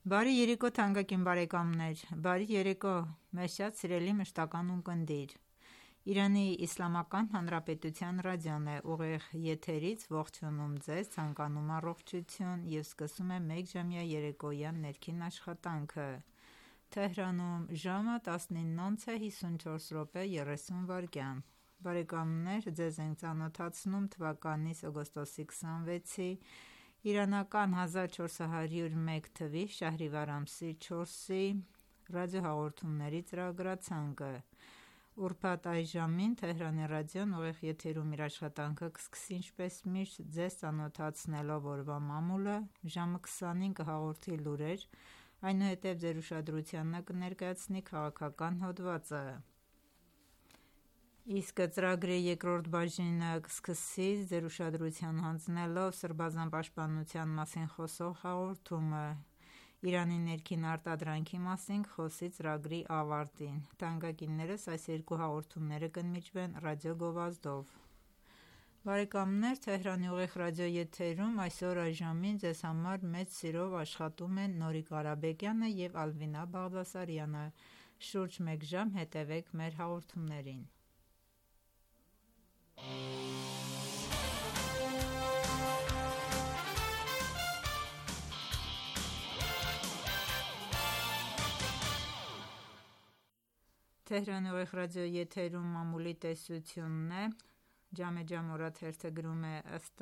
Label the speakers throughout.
Speaker 1: Բարի երեկո թանկագին բարեկամներ, բարի երեկո մեզ շատ սիրելի մշտական ունկնդիր: Իրանի Իսլամական Հանրապետության ռադիոն է ուղիղ եթերից ողջունում ձեզ, ցանկանում առողջություն և սկսում է մեկժամյա երեկոյան ներքին աշխատանքը: Թեհրանում ժամը 19:54:30 Բարեկամներ ձեզ ենք ծանոթացնում թվականի օգոստոսի 26-ի իրանական 1401 թվականի շահրիվար ամսի 4-ի ռադիոհաղորդումների ծրագրացանկը: Ուրբաթ այս ժամին Թեհրանի ռադիոն ուղիղ եթերում իր աշխատանքը կսկսի ինչպես միշտ ձեզ ծանոթացնելով օրվա մամուլը, ժամը 20-ին կհաղորդի լուրեր, այնուհետև ձեր ուշադրությանն կներկայացնի քաղաքական հոդվածը: Իսկ ծրագրի երկրորդ բաժինը կսկսի ձեր ուշադրությանն հանձնելով սրբազան պաշտպանության մասին խոսող հաղորդումը: Իրանի ներքին արտադրանքի մասին կխոսի ծրագրի ավարտին: Թանկագիններս այս երկու հաղորդումները կընդմիջվեն ռադիոգովազդով: Թեհրանի ուղիղ ռադիոեթերում այսօր այս ժամին ձեզ համար մեծ սիրով աշխատում են Նորիկ Ղարաբեկյանը և Ալվինա Բաղդասարյանը: Շուրջ մեկ ժամ հետևեք մեր հաղորդումներին: Ջամեջամ օրաթերթը գրում է. «Ըստ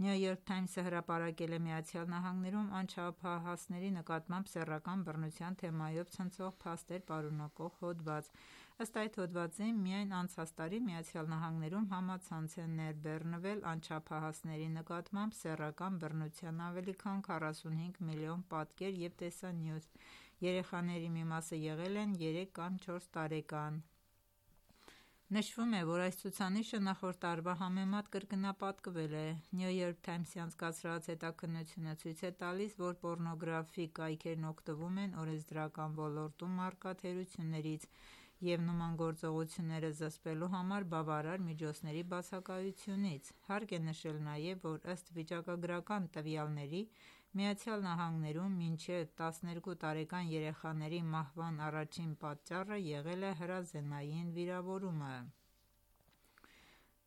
Speaker 1: New York Times-ը հրապարակել է ԱՄՆ-ում անչափահասների նկատմամբ սեռական բռնության թեմայով ցնցող փաստեր պարունակող հոդված: Ըստ այդ հոդվածի միայն անցած տարի ԱՄՆ-ում համացանց է ներբեռնվել անչափահասների նկատմամբ սեռական բռնության ավելի քան 45 միլիոն պատկեր և տեսանյութ: Երեխաների մի մասը եղել են 3 կամ 4 տարեկան: Նշվում է, որ այս ցուցանիշը նախորդ տարվա համեմատ կրկնապատկվել է: New York Times-ի անցկացրած հետաքննությունը ցույց է տալիս, որ պոռնոգրաֆիկ կայքերն օգտվում են օրենսդրական ոլորտում առկա թերություններից և նման գործողությունները զսպելու համար բավարար միջոցների բացակայությունից: Հարկ է նշել նաև, որ ըստ վիճակագրական տվյալների ԱՄՆ-ում մինչև 12 տարեկան երեխաների մահվան առաջին պատճառը եղել է հրազենային վիրավորումը: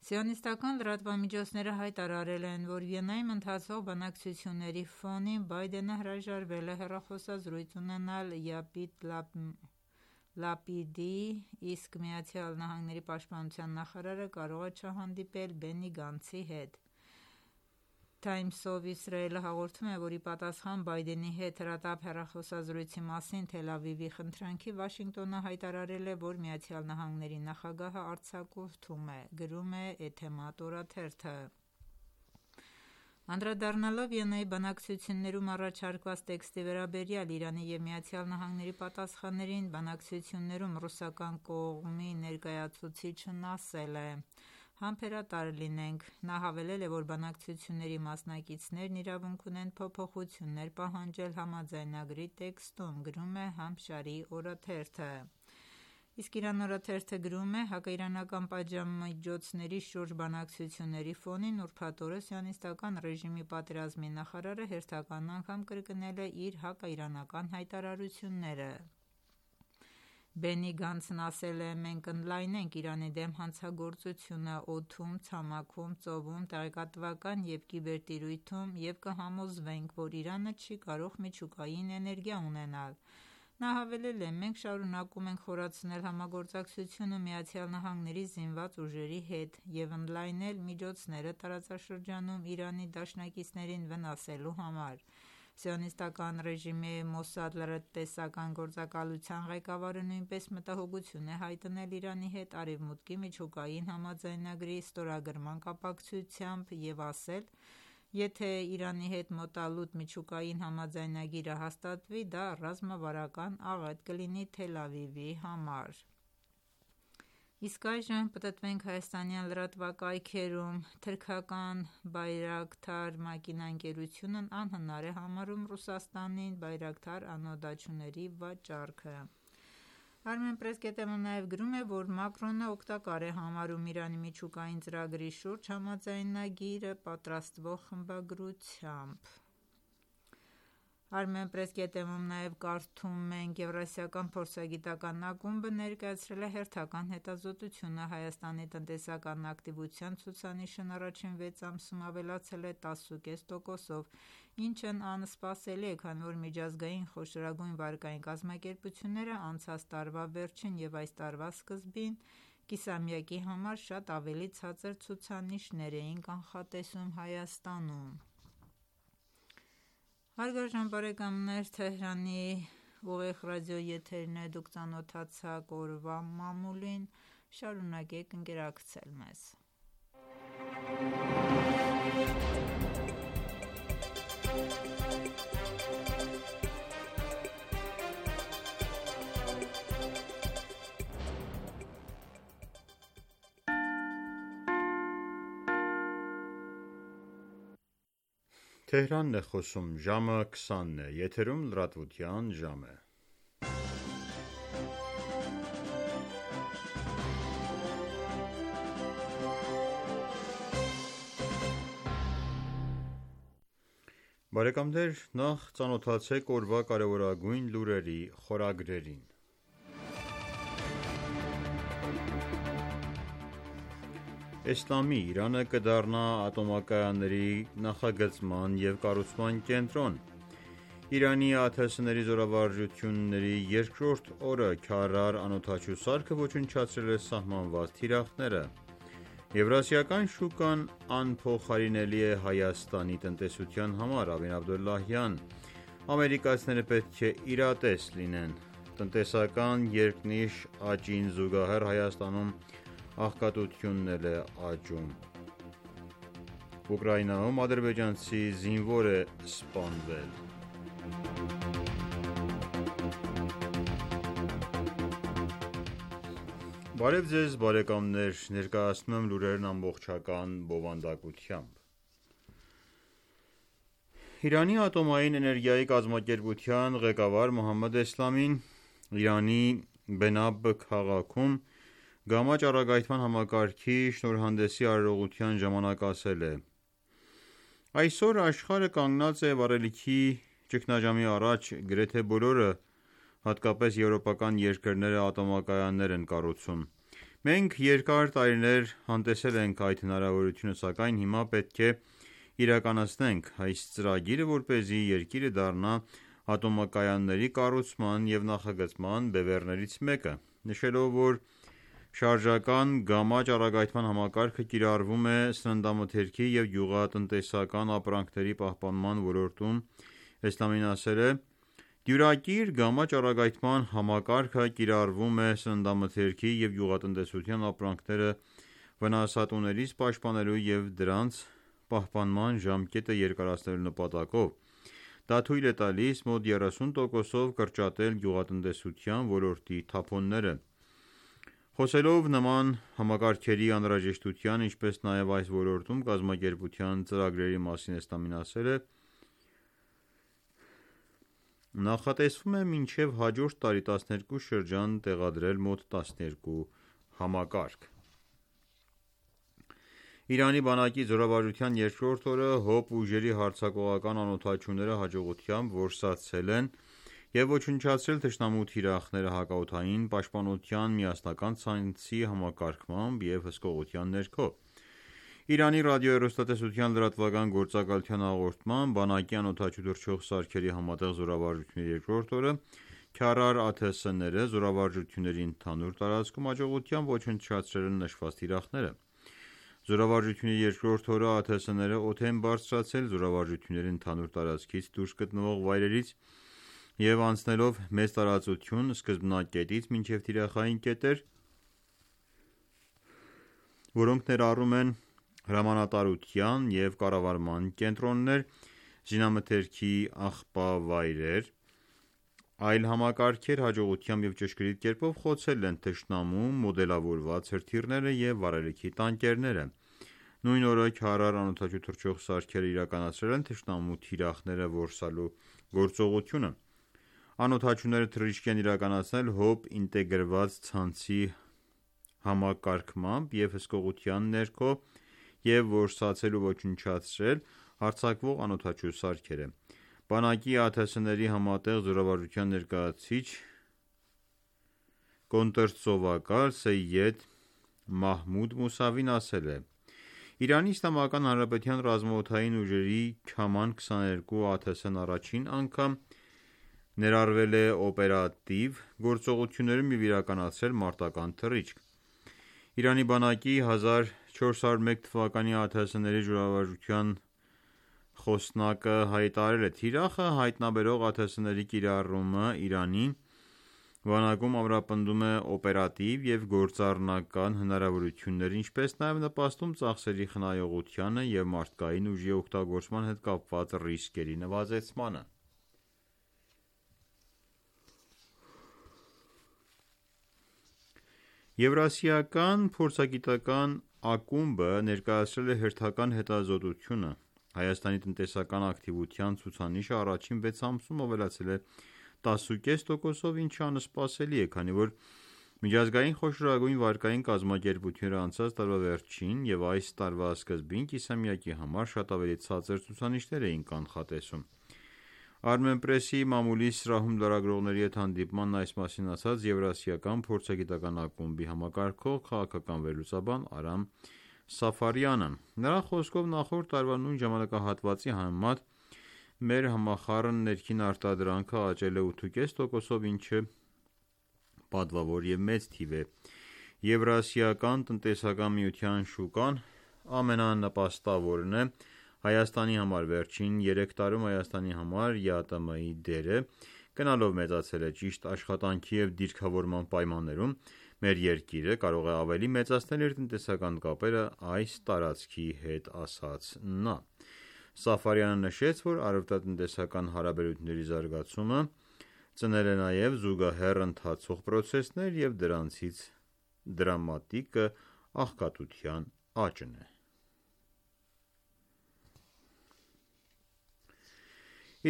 Speaker 1: Սիոնիստական լրատվամիջոցները հայտարարել են, որ Վիեննայում ընթացող բանակցությունների ֆոնին Բայդենը հրաժարվել է հեռախոսազրույց ունենալ Յայիր Լապիդի, իսկ ԱՄՆ պաշտպանության նախարարը կարող է չհանդիպել Բենի Գանցի հետ: Times of Israel-ը հաղորդում է, որ ի պատասխան Բայդենի հետ հրատապ հեռախոսազրույցի մասին Թել Ավիվի խնդրանքի, Վաշինգտոնը հայտարարել է, որ ԱՄՆ նախագահը արձակուրդում է: Գրում է Էթեմատ օրաթերթը: Անդրադառնալով Վիեննայի բանակցություններում առաջարկված տեքստի վերաբերյալ Իրանի և ԱՄՆ-ի պատասխաններին, բանակցություններում ռուսական կողմի ներկայացուցիչն ասել է. «Համբերատար լինենք»: Նա հավելել է, որ բանակցությունների մասնակիցներն իրավունք ունեն փոփոխություններ պահանջել համաձայնագրի տեքստում: Գրում է Համշարի օրաթերթը: Իսկ Իրան օրաթերթը գրում է. «Հակաիրանական պատժամիջոցների շուրջ բանակցությունների ֆոնին ուրբաթ օրը Սիոնիստական ռեժիմի պատերազմի նախարարը հերթական անգամ կրկնել է իր հակաիրանական հայտարարությունները: Բենի Գանցն ասել է. «Մենք կընդլայնենք Իրանի դեմ հանցագործությունը օդում, ցամաքում, ծովում, տեղեկատվական և կիբերտիրույթում և կհամոզվենք, որ Իրանը չի կարող միջուկային էներգիա ունենալ»։ Նա հավելել է. «Մենք շարունակում ենք խորացնել համագործակցությունը ԱՄՆ-ի զինված ուժերի հետ և ընդլայնել միջոցները տարածաշրջանում Իրանի դաշնակիցներին վնասելու համար»։ Սիոնիստական ռեժիմի Մոսադ լրտեսական գործակալության ղեկավարը նույնպես մտահոգություն է հայտնել Իրանի հետ Արևմուտքի միջուկային համաձայնագրի ստորագրման կապակցությամբ և ասել. «Եթե Իրանի հետ մոտալուտ միջուկային համաձայնագիրը հաստատվի, դա ռազմավարական աղետ կլինի Թել Ավիվի համար»։ Իսկ այժմ պտտվենք հայաստանյան լրատվակայքերում։ Թրքական Բայրակթար մակինաընկերությունն անհնար է համարում Ռուսաստանին Բայրակթար անօդաչուների վաճառքը։ Armenpress.am-ը նաև գրում է, որ Մակրոնը օգտակար է համարում Իրանի միջուկային ծրագրի շուրջ համաձայնագիրը պատրաստվող խմբագրությամբ։ Armenpress.am-ում նաև կարդում ենք. Եվրասիական փորձագիտական ակումբը ներկայացրել է հերթական հետազոտությունը։ Հայաստանի տնտեսական ակտիվության ցուցանիշն առաջին 6 ամսում ավելացել է 10.5%-ով, ինչն անսպասելի է, քանի որ միջազգային խոշորագույն վարկային կազմակերպությունները անցած տարվա վերջին և այս տարվա սկզբին կիսամյակի համար շատ ավելի ցածր ցուցանիշներ էին կանխատեսում Հայաստանում։ Հարգարժան բարեկամներ, Թեհրանի ուղիղ ռադիոյի եթերն է, դուք ծանոթացաք օրվա մամուլին, շարունակեք ընկերակցել մեզ։
Speaker 2: Թեհրանն է խոսում, ժամը 20-ն է, եթերում լրատվության ժամ է։ Բարեկամներ, նախ ծանոթացեք օրվա կարևորագույն լուրերի խորագրերին։ Էսլամի Իրանը կդառնա ատոմակայանների նախագծման և կառուցման կենտրոն։ Իրանի ԱԹՍ-ների զորավարժությունների երկրորդ օրը Քարար անօդաչու սարքը ոչնչացրել է սահմանված թիրախները։ Եվրասիական շուկան անփոխարինելի է Հայաստանի տնտեսության համար։ Ավին Աբդոլլահյան. ամերիկացիները պետք է իրատես լինեն։ Տնտեսական երկնիշ աճին զուգահեռ Հայաստանում աղքատությունն էլ է աճում։ Ուկրաինայում ադրբեջանցի զինվոր է սպանվել։ Բարև ձեզ բարեկամներ, ներկայացնում եմ լուրերն ամբողջական բովանդակությամբ։ Իրանի ատոմային էներգիայի կազմակերպության ղեկավար Մոհամմադ Էսլամին Իրանի Բենաբ քաղաքում գամա ճառագայթման համակարգի շնորհանդեսի արարողության ժամանակ ասել է. «Այսօր աշխարհը կանգնած է վառելիքի ճգնաժամի առաջ, գրեթե բոլորը, հատկապես եվրոպական երկրները ատոմակայաններ են կառուցում։ Մենք երկար տարիներ անտեսել ենք այդ հնարավորությունը, սակայն հիմա պետք է իրականացնենք այս ծրագիրը, որպեսզի երկիրը դառնա ատոմակայանների կառուցման և նախագծման բևեռներից մեկը, նշելով, որ շարժական գամա ճառագայթման համակարգը կիրառվում է սննդամթերքի և գյուղատնտեսական ապրանքների պահպանման ոլորտում, Էսլամին ասել է. «Դյուրակիր գամա ճառագայթման համակարգը կիրառվում է սննդամթերքի և գյուղատնտեսության ապրանքները վնասատուներից պաշտպանելու և դրանց պահպանման ժամկետը երկարացնելու նպատակով։ Դա թույլ է տալիս մոտ 30%-ով կրճատել գյուղատնտեսության ոլորտի թափոնները»։ Խոսելով նման համակարգերի անհրաժեշտության, ինչպես նաև այս ոլորտում կազմակերպության ծրագրերի մասին, Էսլամին ասել է. «Նախատեսվում է մինչև հաջորդ տարի 12 շրջան տեղադրել մոտ 12 համակարգ»։ Իրանի բանակի զորավարժության երկրորդ օրը ՀՕՊ ուժերի հարձակողական անօդաչուները հաջողությամբ որսացել են և ոչնչացրել թշնամու թիրախները հակաօդային պաշտպանության միասնական ցանցի համակարգմամբ և հսկողության ներքո: Իրանի ռադիոհեռուստատեսության լրատվական գործակալության հաղորդմամբ, բանակի անօդաչու թռչող սարքերի համատեղ զորավարժությունների երկրորդ օրը Քարար ԱԹՍ-ները զորավարժությունների ընդհանուր տարածքում հաջողությամբ ոչնչացրել են նշված թիրախները: Զորավարժությունների երկրորդ օրը ԱԹՍ-ները օդ են բարձրացրել զորավարժությունների ընդհանուր տարածքից դուրս գտնվող վայրերից և անցնելով մեծ տարածություն սկզբնակետից մինչև թիրախային կետեր, որոնք ներառում են հրամանատարության և կառավարման կենտրոններ, զինամթերքի աղբավայրեր, այլ համակարգեր, հաջողությամբ և ճշգրիտ կերպով խոցել են թշնամու մոդելավորված հրթիռները և վառելիքի տանկերները: Նույն օրը Քարար անօդաչու թռչող սարքերը իրականացրել են թշնամու թիրախները որսալու գործողությունը: Անօդաչուները թռիչք են իրականացնել ՀՕՊ ինտեգրված ցանցի համակարգմամբ և հսկողության ներքո և որսացել ու ոչնչացրել հարձակվող անօդաչու սարքերը: Բանակի ԱԹՍ-ների համատեղ զորավարժության ներկայացուցիչ կոնտրծովակալ Սեյեդ Մահմուդ Մուսավին ասել է. «Իրանի Իսլամական Հանրապետության ռազմաօդային ուժերի Քաման 22 ԱԹՍ-ն առաջին անգամ ներառվել է օպերատիվ գործողություններում և իրականացրել մարտական թռիչք: Իրանի բանակի 1401 թվականի ԱԹՍ-ների զորավարժության խոսնակը հայտարարել է. «Թիրախը հայտնաբերող ԱԹՍ-ների կիրառումը Իրանի բանակում ամրապնդում է օպերատիվ և գործառնական հնարավորությունները, ինչպես նաև նպաստում ծախսերի խնայողությանը և մարդկային ուժի օգտագործման հետ կապված ռիսկերի նվազեցմանը»: Եվրասիական փորձագիտական ակումբը ներկայացրել է հերթական հետազոտությունը: Հայաստանի տնտեսական ակտիվության ցուցանիշը առաջին 6 ամսում ավելացել է 10.5%-ով, ինչը անսպասելի է, քանի որ միջազգային խոշորագույն վարկային կազմակերպությունները անցած տարվա վերջին և այս տարվա սկզբին կիսամյակի համար շատ ավելի ցածր ցուցանիշներ էին կանխատեսում: Armenpress-ի մամուլի սրահում լրագրողների հետ հանդիպմանն այս մասին ասաց Եվրասիական փորձագիտական ակումբի համակարգող քաղաքական վերլուծաբան Արամ Սաֆարյանը: Նրա խոսքով նախորդ տարվա նույն ժամանակահատվածի համեմատ մեր համախառն ներքին արտադրանքը աճել է 8.5%-ով, ինչը պատվավոր և մեծ թիվ է: Եվրասիական տնտեսական միության շուկան ամենանպաստավորն է Հայաստանի համար: Վերջին 3 տարում Հայաստանի համար ԵԱՏՄ-ի դերը գնալով մեծացել է: Ճիշտ աշխատանքի և դիրքավորման պայմաններում մեր երկիրը կարող է ավելի մեծացնել իր տնտեսական կապերը այս տարածքի հետ, ասաց նա: Սաֆարյանը նշեց, որ առևտրատնտեսական հարաբերությունների զարգացումը ծնել է նաև զուգահեռ ընթացող պրոցեսներ և դրանցից դրամատիկը աղքատության աճն է: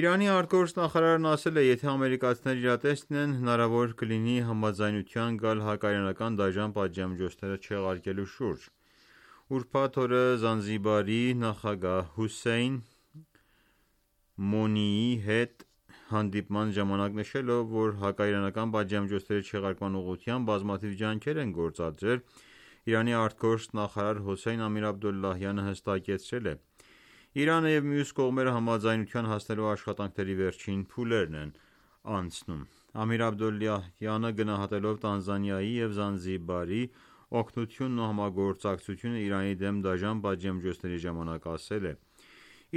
Speaker 2: Իրանի արտգործնախարարն ասել է. «Եթե ամերիկացիները իրատես լինեն, հնարավոր կլինի համաձայնության գալ հակաիրանական դաժան պատժամիջոցները չեղարկելու շուրջ»: Ուրբաթ օրը Զանզիբարի նախագահ Հուսեյն Մոնիի հետ հանդիպման ժամանակ նշելով, որ հակաիրանական պատժամիջոցների չեղարկման ուղղությամբ բազմաթիվ ջանքեր են գործադրել, Իրանի արտգործնախարար Հոսեյն Ամիր-Աբդոլլահյանը հստակեցրել է. «Իրանը և մյուս կողմերը համաձայնության հասնելու աշխատանքների վերջին փուլերն են անցնում»: Ամիր-Աբդոլլահյանը գնահատելով Տանզանիայի և Զանզիբարի օգնությունն ու համագործակցությունը Իրանի դեմ դաժան պատժամիջոցների ժամանակ ասել է.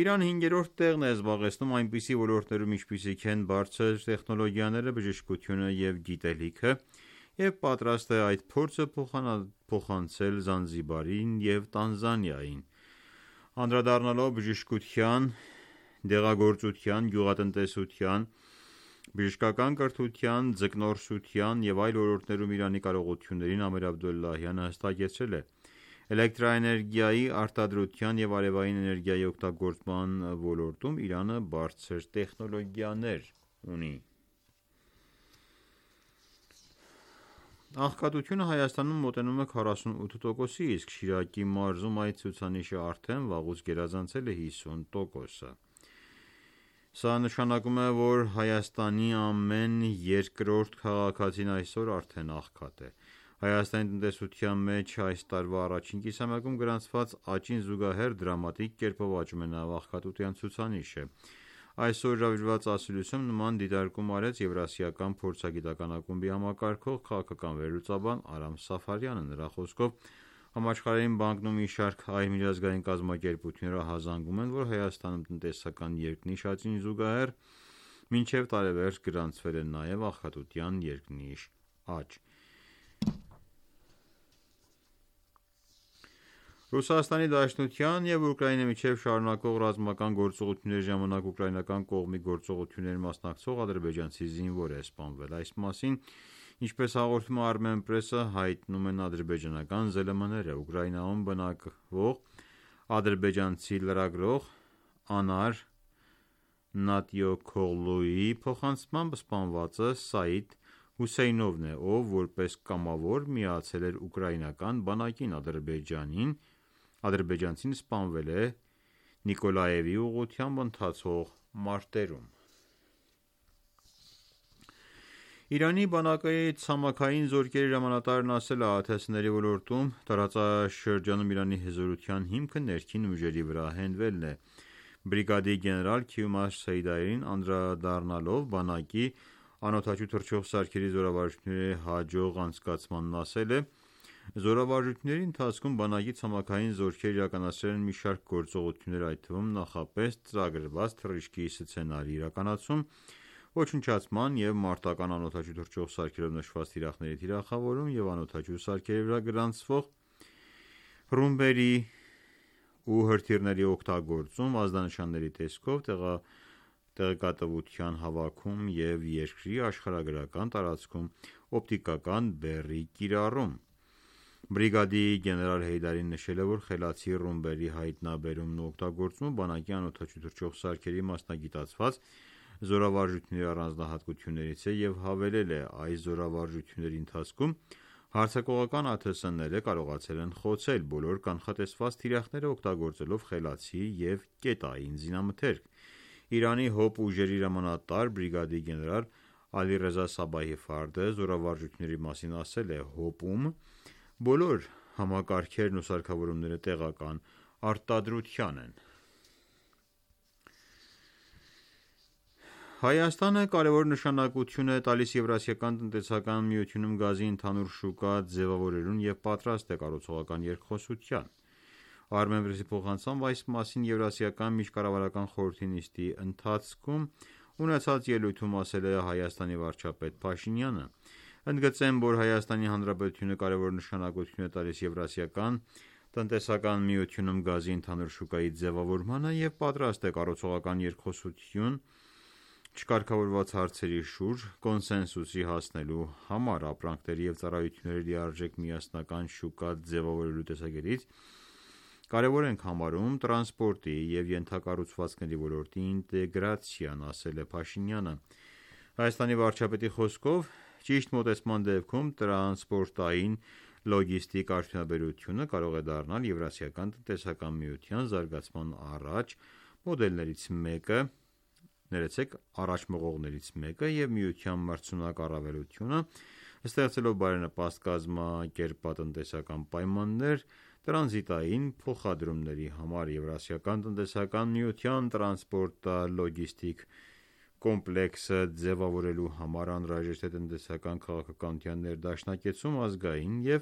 Speaker 2: «Իրանը հինգերորդ տեղն է զբաղեցնում այնպիսի ոլորտներում, ինչպիսիք են բարձր տեխնոլոգիաները, բժշկությունը և գիտելիքը և պատրաստ է այդ փորձը փոխանցել Զանզիբարին և Տանզանիային»: Անդրադառնալով բժշկության, դեղագործության, գյուղատնտեսության, բժշկական կրթության, ձկնորսության և այլ ոլորտներում Իրանի կարողություններին, Ամիր-Աբդոլլահյանը հստակեցրել է. «Էլեկտրաէներգիայի արտադրության և արևային էներգիայի օգտագործման ոլորտում Իրանը բարձր տեխնոլոգիաներ ունի»: Աղքատությունը Հայաստանում մոտենում է 48%-ի, իսկ Շիրակի մարզում այդ ցուցանիշը արդեն վաղուց գերազանցել է 50%-ը: Սա նշանակում է, որ Հայաստանի ամեն երկրորդ քաղաքացին այսօր արդեն աղքատ է։ Հայաստանի տնտեսության մեջ այս տարվա առաջին կիսամյակում գրանցված աճին զուգահեռ դրամատիկ կերպով աճում է նաև աղքատության ցուցանիշը։ Այսօր հրավիրված ասուլիսում նման դիտարկում արեց Եվրասիական փորձագիտական ակումբի համակարգող քաղաքական վերլուծաբան Արամ Սաֆարյանը։ Նրա խոսքով Համաշխարհային բանկն ու մի շարք այլ միջազգային կազմակերպություններ ահազանգում են, որ Հայաստանում տնտեսական երկնիշ աճին զուգահեռ մինչև տարեվերջ գրանցվել է նաև աղքատության երկնիշ աճ։ Ռուսաստանի Դաշնության և Ուկրաինայի միջև շարունակվող ռազմական գործողությունների ժամանակ ուկրաինական կողմի գործողություններին մասնակցող ադրբեջանցի զինվոր է սպանվել։ Այս մասին, ինչպես հաղորդում է Armenpress-ը, հայտնում են ադրբեջանական ԶԼՄ-ները։ Ուկրաինայում բնակվող ադրբեջանցի լրագրող Անար Նատյոքօղլուի փոխանցմամբ սպանվածը Սաիդ Հուսեյնովն է, ով որպես կամավոր միացել էր ուկրաինական բանակին։ Ադրբեջանցին սպանվել է Նիկոլաևի ուղղությամբ ընթացող մարտերում։ Իրանի բանակի ցամաքային զորքերի հրամանատարն ասել է, ԱԹՍ-ների ոլորտում տարածաշրջանում Իրանի հզորության հիմքը ներքին ուժերի վրա հենվելն է։ Բրիգադի գեներալ Քիումար Սեյդային անդրադառնալով բանակի անօդաչու թռչող սարքերի զորավարժությունների հաջող անցկացմանն ասել է. Զորավարժությունների ընթացքում բանակի ցամաքային զորքերը իրականացրել են մի շարք գործողություններ, այդ թվում նախապես ծրագրված թռիչքի սցենարի իրականացում, ոչնչացման և մարտական անօդաչու թռչող սարքերով նշված թիրախների թիրախավորում և անօդաչու սարքերի վրա գրանցվող ռումբերի ու հրթիռների օգտագործում, ազդանշանների տեսքով տեղեկատվության հավաքում և երկրի աշխարհագրական տարածքում օպտիկական բեռի կիրառում։ Բրիգադի գեներալ Հեյդարին նշել է, որ խելացի ռումբերի հայտնաբերումն ու օգտագործումը բանակի անօդաչու թռչող սարքերի մասնագիտացված զորավարժությունների առանձնահատկություններից է և հավելել է. այս զորավարժությունների ընթացքում հարձակողական ԱԹՍ-ները կարողացել են խոցել բոլոր կանխատեսված թիրախները օգտագործելով խելացի և կետային զինամթերք։ Իրանի ՀՕՊ ուժերի հրամանատար բրիգադի գեներալ Ալիռեզա Սաբահի Ֆարդը զորավարժությունների մասին ասել է. ՀՕՊ-ում բոլոր համակարգերն ու սարքավորումները տեղական արտադրության են։ Հայաստանը կարևոր նշանակություն է տալիս Եվրասիական տնտեսական միությունում գազի ընդհանուր շուկա ձևավորելուն և պատրաստ է կառուցողական երկխոսության։ Armenpress-ի փոխանցմամբ այս մասին Եվրասիական միջկառավարական խորհրդի նիստի ընթացքում ունեցած ելույթում ասել է Հայաստանի վարչապետ Փաշինյանը։ Ընդգծեմ, որ Հայաստանի Հանրապետությունը կարևոր նշանակություն է տալիս Եվրասիական տնտեսական միությունում գազի ընդհանուր շուկայի ձևավորմանը և պատրաստ է կառուցողական երկխոսություն չկարգավորված հարցերի շուրջ կոնսենսուսի հասնելու համար։ Ապրանքների և ծառայությունների լիարժեք միասնական շուկա ձևավորելու տեսակետից կարևոր ենք համարում տրանսպորտի և ենթակառուցվածքների ոլորտի ինտեգրացիան, ասել է Փաշինյանը։ Հայաստանի վարչապետի խոսքով, ճիշտ մոտեցման դեպքում տրանսպորտային լոգիստիկ արդյունաբերությունը կարող է դառնալ Եվրասիական տնտեսական միության զարգացման առաջ մղողներից մեկը և միության մրցունակ առավելությունը, ստեղծելով բարենպաստ կազմակերպատնտեսական պայմաններ տրանզիտային փոխադրումների համար։ Եվրասիական տնտեսական միության տրանսպորտալոգիստիկ կոմպլեքսը ձևավորելու համար անհրաժեշտ է տնտեսական քաղաքականության ներդաշնակեցում ազգային և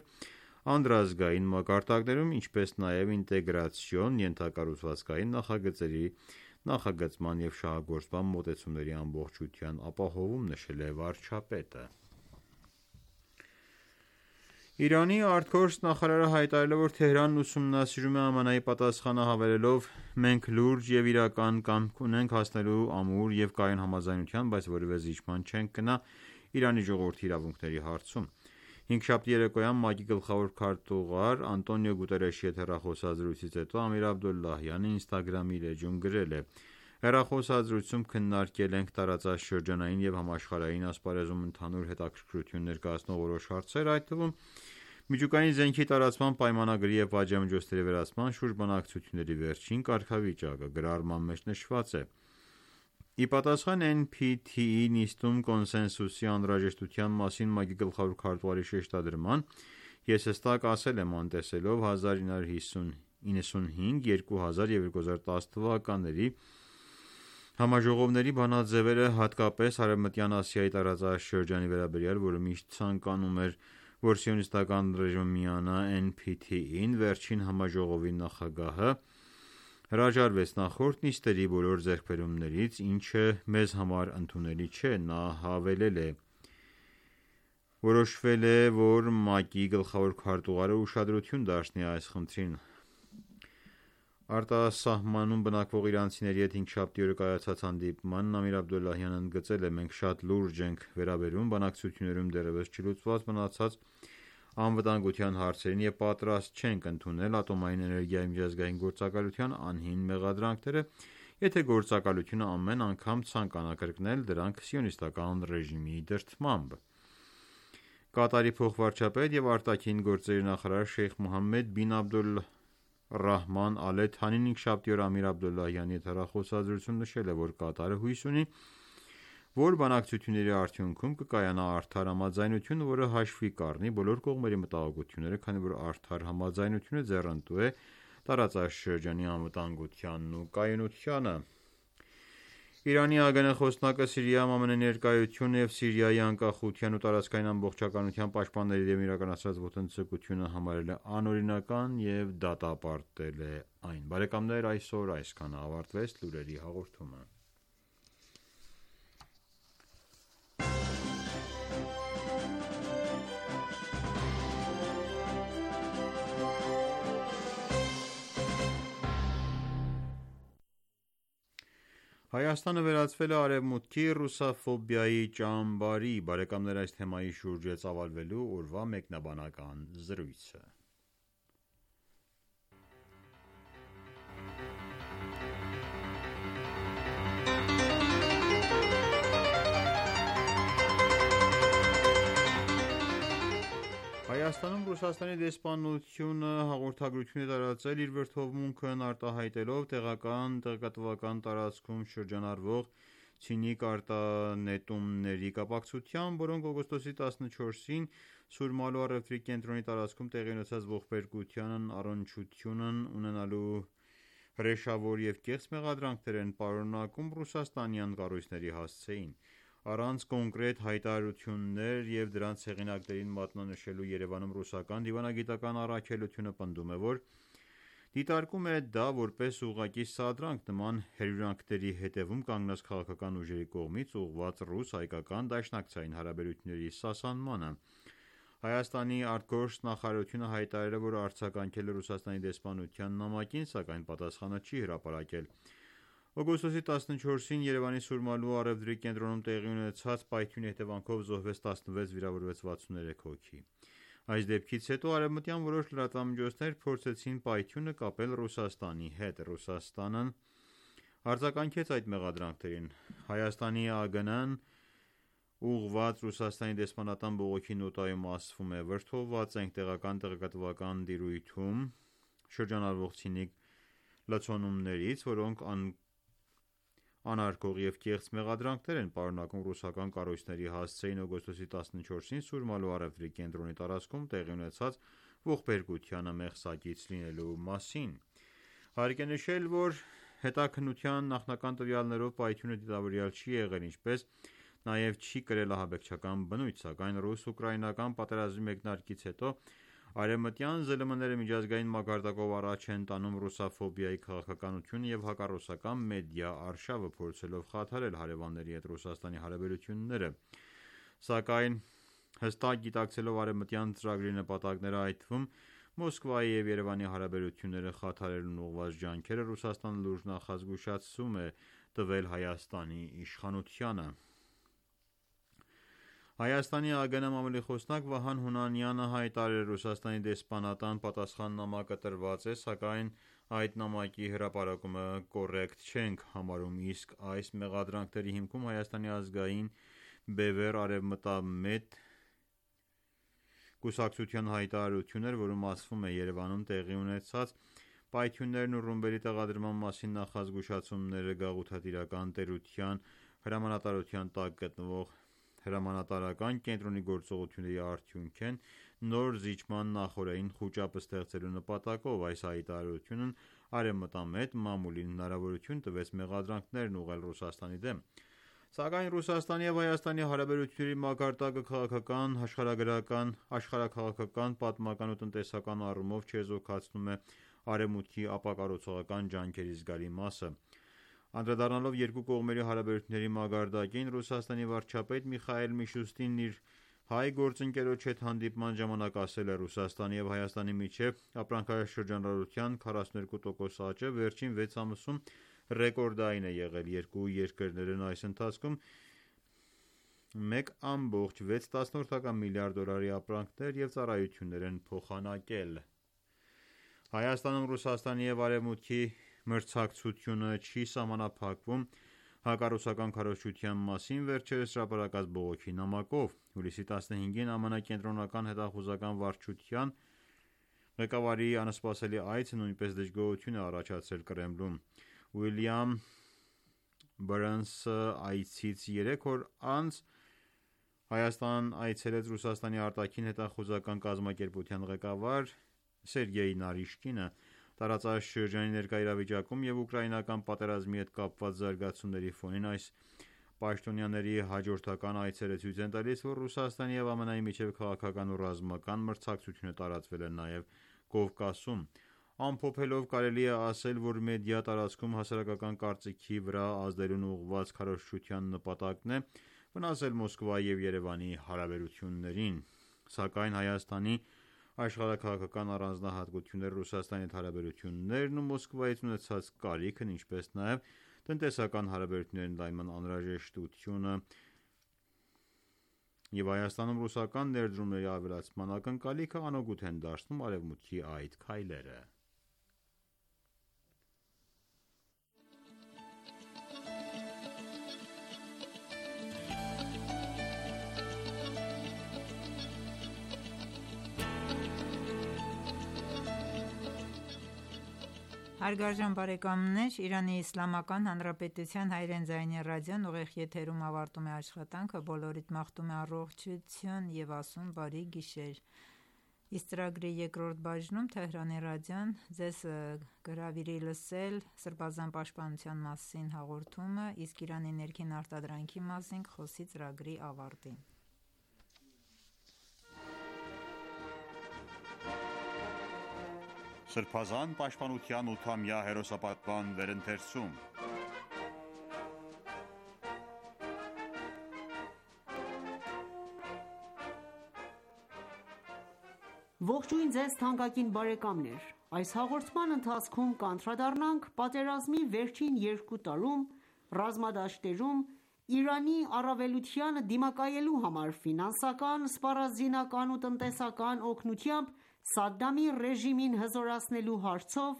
Speaker 2: անդրազգային մակարդակներում, ինչպես նաև ինտեգրացիոն ենթակառուցվածքային նախագծերի նախագծման և շահագործման մոտեցումների ամբողջության ապահովում, նշել է վարչապետը։ Իրանի ԱԳ նախարարը հայտարարել է, որ Թեհրանն ուսումնասիրում է ԱՄՆ-ի պատասխանը, հավելելով. «Մենք լուրջ և իրական կամք ունենք հասնելու ամուր և կայուն համաձայնության, բայց որևէ զիջման չենք գնա Իրանի ժողովրդի իրավունքների հարցում»։ Հինգշաբթի երեկոյան ՄԱԿ-ի գլխավոր քարտուղար Անտոնիո Գուտերեշի հետ հեռախոսազրույցից հետո Ամիր Աբդոլլահյանը Instagram-ի իր էջում գրել է. «Հեռախոսազրույցում քննարկել ենք տարածաշրջանային և համաշխարհային ասպարեզում ընդհանուր հետաքրքրություն ներկայացնող որոշ հարցեր, այդ թվում միջուկային զենքի տարածման պայմանագրի և պատժամիջոցների վերացման շուրջ բանակցությունների վերջին կարգավիճակը։ Գրառման մեջ նշված է. Ի պատասխան NPT-ի նիստում կոնսենսուսի անհրաժեշտության մասին ՄԱԿ-ի գլխավոր քարտուղարի շեշտադրման, ես հստակ ասել եմ անտեսելով 1995, 2000 և 2010 թվականների համաժողովների բանաձևերը, հատկապես Արևմտյան Ասիայի տարածաշրջանի վերաբերյալ, որը միշտ ցանկանում էր, որ սիոնիստական ռեժիմը միանա NPT-ին, վերջին համաժողովի նախագահը հրաժարվեց նախորդ նիստերի բոլոր ձեռքբերումներից, ինչը մեզ համար ընդունելի չէ: Նա հավելել է. «Որոշվել է, որ ՄԱԿ-ի գլխավոր քարտուղարը ուշադրություն դարձնի այս խնդրին»: Արտասահմանում բնակվող իրանցիների հետ հինգշաբթի օրը կայացած հանդիպմանն Ամիր Աբդոլլահյանն ընդգծել է. «Մենք շատ լուրջ ենք վերաբերվում բանակցություններում դեռևս չլուծված մնացած անվտանգության հարցերին և պատրաստ չենք ընդունել ատոմային էներգիայի միջազգային գործակալության անհիմն մեղադրանքները, եթե գործակալությունը ամեն անգամ ցանկանա կրկնել դրանք սիոնիստական ռեժիմի դրդմամբ»: Կատարի փոխվարչապետ և արտաքին գործերի նախարար Շեյխ Մոհամմեդ բին Աբդոլռահման Ալ Թանին հինգշաբթի օրը Ամիր Աբդոլլահյանի հետ հեռախոսազրույցում նշել է, որ Կատարը հույս ունի, որ բանակցությունների արդյունքում կկայանա արդար համաձայնություն, որը հաշվի կառնի բոլոր կողմերի մտահոգությունները, քանի որ արդար համաձայնությունը ձեռնտու է տարածաշրջանի անվտանգությանն ու կայունությանը: Իրանի ԱԳՆ խոսնակը Սիրիայում ԱՄՆ ներկայությունը և Սիրիայի անկախության ու տարածքային ամբողջականության պաշտպանների դեմ իրականացրած ոտնձգությունը համարել է անօրինական և դատապարտել է այն: Այսօր այսքանը, ավարտվեց լուրերի հաղորդումը: Հայաստանը վերածվել է Արևմուտքի ռուսաֆոբիայի ճամբարի: Այս թեմայի շուրջ է ծավալվելու օրվա մեկնաբանական զրույցը: Հայաստանում Ռուսաստանի դեսպանությունը հաղորդագրություն է տարածել իր վրդովմունքն արտահայտելով տեղեկատվական տարածքում շրջանառվող ցինիկ արտանետումների կապակցությամբ, որոնք օգոստոսի 14-ին Սուրմալու առևտրի կենտրոնի տարածքում տեղի ունեցած ողբերգությանն առնչություն ունենալու հրեշավոր և կեղծ մեղադրանքներ են պարունակում ռուսաստանյան կառույցների հասցեին: Առանց կոնկրետ հայտարարություններ և դրանց հեղինակներին մատնանշելու Երևանում ռուսական դիվանագիտական առաքելությունը պնդում է, որ դիտարկում է դա որպես ուղղակի սադրանք նման հրյուրանքների հետևում կանգնած քաղաքական ուժերի կողմից ուղղված ռուս-հայկական դաշնակցային հարաբերությունների սասանմանը: Հայաստանի ԱԳ հայտարարել է, որ արձագանքել է Ռուսաստանի դեսպանության նամակին, սակայն պատասխանը չի հրապարակել: Օգոստոսի 14-ին Երևանի Սուրմալու առևտրի կենտրոնում տեղի ունեցած պայթյունի հետևանքով զոհվեց 16, վիրավորվեց 63 հոգի: Այս դեպքից հետո արևմտյան որոշ լրատվամիջոցներ փորձեցին պայթյունը կապել Ռուսաստանի հետ: Ռուսաստանն արձագանքեց այդ մեղադրանքներին: Հայաստանի ԱԳՆ-ն ուղղված Ռուսաստանի դեսպանատան բողոքի նոտայում ասվում է. «Վրդովված ենք տեղական տեղեկատվական տիրույթում շրջանառվող ցինիկ լցոնումներից, որոնք անարգող և կեղծ մեղադրանքներ են պարունակում ռուսական կառույցների հասցեին օգոստոսի 14-ին Սուրմալու առևտրի կենտրոնի տարածքում տեղի ունեցած ողբերգությանը մեղսակից լինելու մասին»: Հարկ է նշել, որ հետաքննության նախնական տվյալներով պայթյունը դիտավորյալ չի եղել, ինչպես նաև չի կրել ահաբեկչական բնույթ, սակայն ռուս-ուկրաինական պատերազմի մեկնարկից հետո արևմտյան ԶԼՄ-ները միջազգային մակարդակով առաջ են տանում ռուսաֆոբիայի քաղաքականությունը և հակառուսական մեդիա արշավը, փորձելով խաթարել հարևանների հետ Ռուսաստանի հարաբերությունները: Սակայն հստակ գիտակցելով արևմտյան ծրագրի նպատակները, այդ թվում Մոսկվայի և Երևանի հարաբերությունները խաթարելուն ուղղված ջանքերը, Ռուսաստանը լուրջ նախազգուշացում է տվել Հայաստանի իշխանությանը: Հայաստանի ԱԳՆ մամուլի խոսնակ Վահան Հունանյանը հայտարարել է. «Ռուսաստանի դեսպանատան պատասխան նամակը տրված է, սակայն այդ նամակի հրապարակումը կոռեկտ չենք համարում, իսկ այս մեղադրանքների հիմքում Հայաստանի ազգային բևեռ արևմտամետ կուսակցության հայտարարություն էր, որում ասվում է. «Երևանում տեղի ունեցած Պայթյուններն ու ռումբերի տեղադրման մասին նախազգուշացումները գաղութատիրական տերության հրամանատարության տակ գտնվող հրամանատարական կենտրոնի գործողությունների արդյունք են նոր զիջման նախօրեին խուճապ ստեղծելու նպատակով։ Այս հայտարարությունն արևմտամետ մամուլին հնարավորություն տվեց մեղադրանքներ ուղղել Ռուսաստանի դեմ։ Սակայն Ռուսաստանի և Հայաստանի հարաբերությունների մակարդակը քաղաքական, աշխարհագրական, աշխարհաքաղաքական, պատմական ու տնտեսական առումով չեզոքացնում է Արևմուտքի ապակառուցողական ջանքերի զգալի մասը։ Անդրադառնալով երկու կողմերի հարաբերությունների մակարդակին, Ռուսաստանի վարչապետ Միխայիլ Միշուստինն իր հայ գործընկերոջ հետ հանդիպման ժամանակ ասել է. «Ռուսաստանի և Հայաստանի միջև ապրանքաշրջանառության 42% աճը վերջին 6 ամսում ռեկորդային է եղել։ Երկու երկրներն այս ընթացքում $1.6 միլիարդ ապրանքներ և ծառայություններ են փոխանակել»։ Հայաստանում Ռուսաստանի և Արևմուտքի մրցակցությունը չի սահմանափակվում հակառուսական քարոզչության մասին վերջերս հրապարակած բողոքի նամակով։ Հուլիսի 15-ին ԱՄՆ Կենտրոնական հետախուզական վարչության ղեկավարի անսպասելի այցը նույնպես դժգոհություն է առաջացրել Կրեմլում։ Ուիլյամ Բըրնսը այցից 3 օր անց Հայաստան այցելեց Ռուսաստանի արտաքին հետախուզական կազմակերպության ղեկավար Սերգեյ Նարիշկինը։ Տարածաշրջանի ներկա իրավիճակում և ուկրաինական պատերազմի հետ կապված զարգացումների ֆոնին այս պաշտոնյաների հաջորդական այցերը ցույց են տալիս, որ Ռուսաստանի և ԱՄՆ-ի միջև քաղաքական ու ռազմական մրցակցությունը տարածվել է նաև Կովկասում։ Ամփոփելով կարելի է ասել, որ մեդիա տարածքում հասարակական կարծիքի վրա ազդելուն ուղղված քարոզչության նպատակն է վնասել Մոսկվայի և Երևանի հարաբերություններին։ Սակայն Հայաստանի աշխարհաքաղաքական առանձնահատկությունները, Ռուսաստանի հետ հարաբերություններն ու Մոսկվայից ունեցած կարիքն, ինչպես նաև տնտեսական հարաբերությունների ընդլայնման անհրաժեշտությունը և Հայաստանում ռուսական ներդրումների ավելացման ակնկալիքը անօգուտ են դարձնում Արևմուտքի այդ քայլերը։
Speaker 1: Հարգարժան բարեկամներ, Իրանի Իսլամական Հանրապետության հայրեն ձայնի ռադիոն ուղիղ եթերում ավարտում է աշխատանքը։ Բոլորիդ մաղթում է առողջություն և ասում բարի գիշեր։ Իսկ ծրագրի երկրորդ բաժնում Թեհրանի ռադիոն ձեզ կհրավիրի լսել Սրբազան պաշտպանության մասին հաղորդումը, իսկ Իրանի ներքին արտադրանքի մասին կխոսի ծրագրի ավարտին։
Speaker 2: Սրբազան պաշտպանության 8-ամյա հերոսապատման վերընթերցում
Speaker 3: Ողջույն ձեզ թանկագին բարեկամներ: Այս հաղորդման ընթացքում կանդրադառնանք պատերազմի վերջին 2 տարում ռազմադաշտերում Իրանի առավելությանը դիմակայելու համար ֆինանսական, սպառազինական ու տնտեսական օգնությամբ Սադամի ռեժիմին հզորացնելու հարցով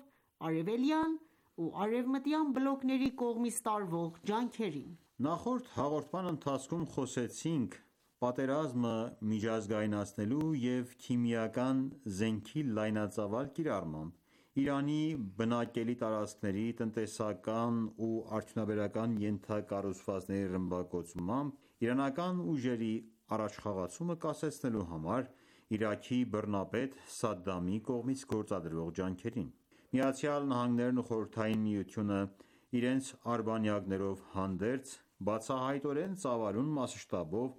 Speaker 3: արևելյան ու արևմտյան բլոկների կողմից տարվող ջանքերին։ Նախորդ հաղորդման ընթացքում խոսեցինք պատերազմը միջազգայնացնելու և քիմիական զենքի լայնածավալ կիրառմամբ Իրանի բնակելի տարածքների, տնտեսական ու արդյունաբերական ենթակառուցվածքների ռմբակոծմամբ իրանական ուժերի առաջխաղացումը կասեցնելու համար Իրաքի բռնապետ Սադամի կողմից գործադրվող ջանքերին։ ԱՄՆ-ն ու Խորհրդային Միությունը իրենց արբանյակներով հանդերձ բացահայտորեն ծավալուն մասշտաբով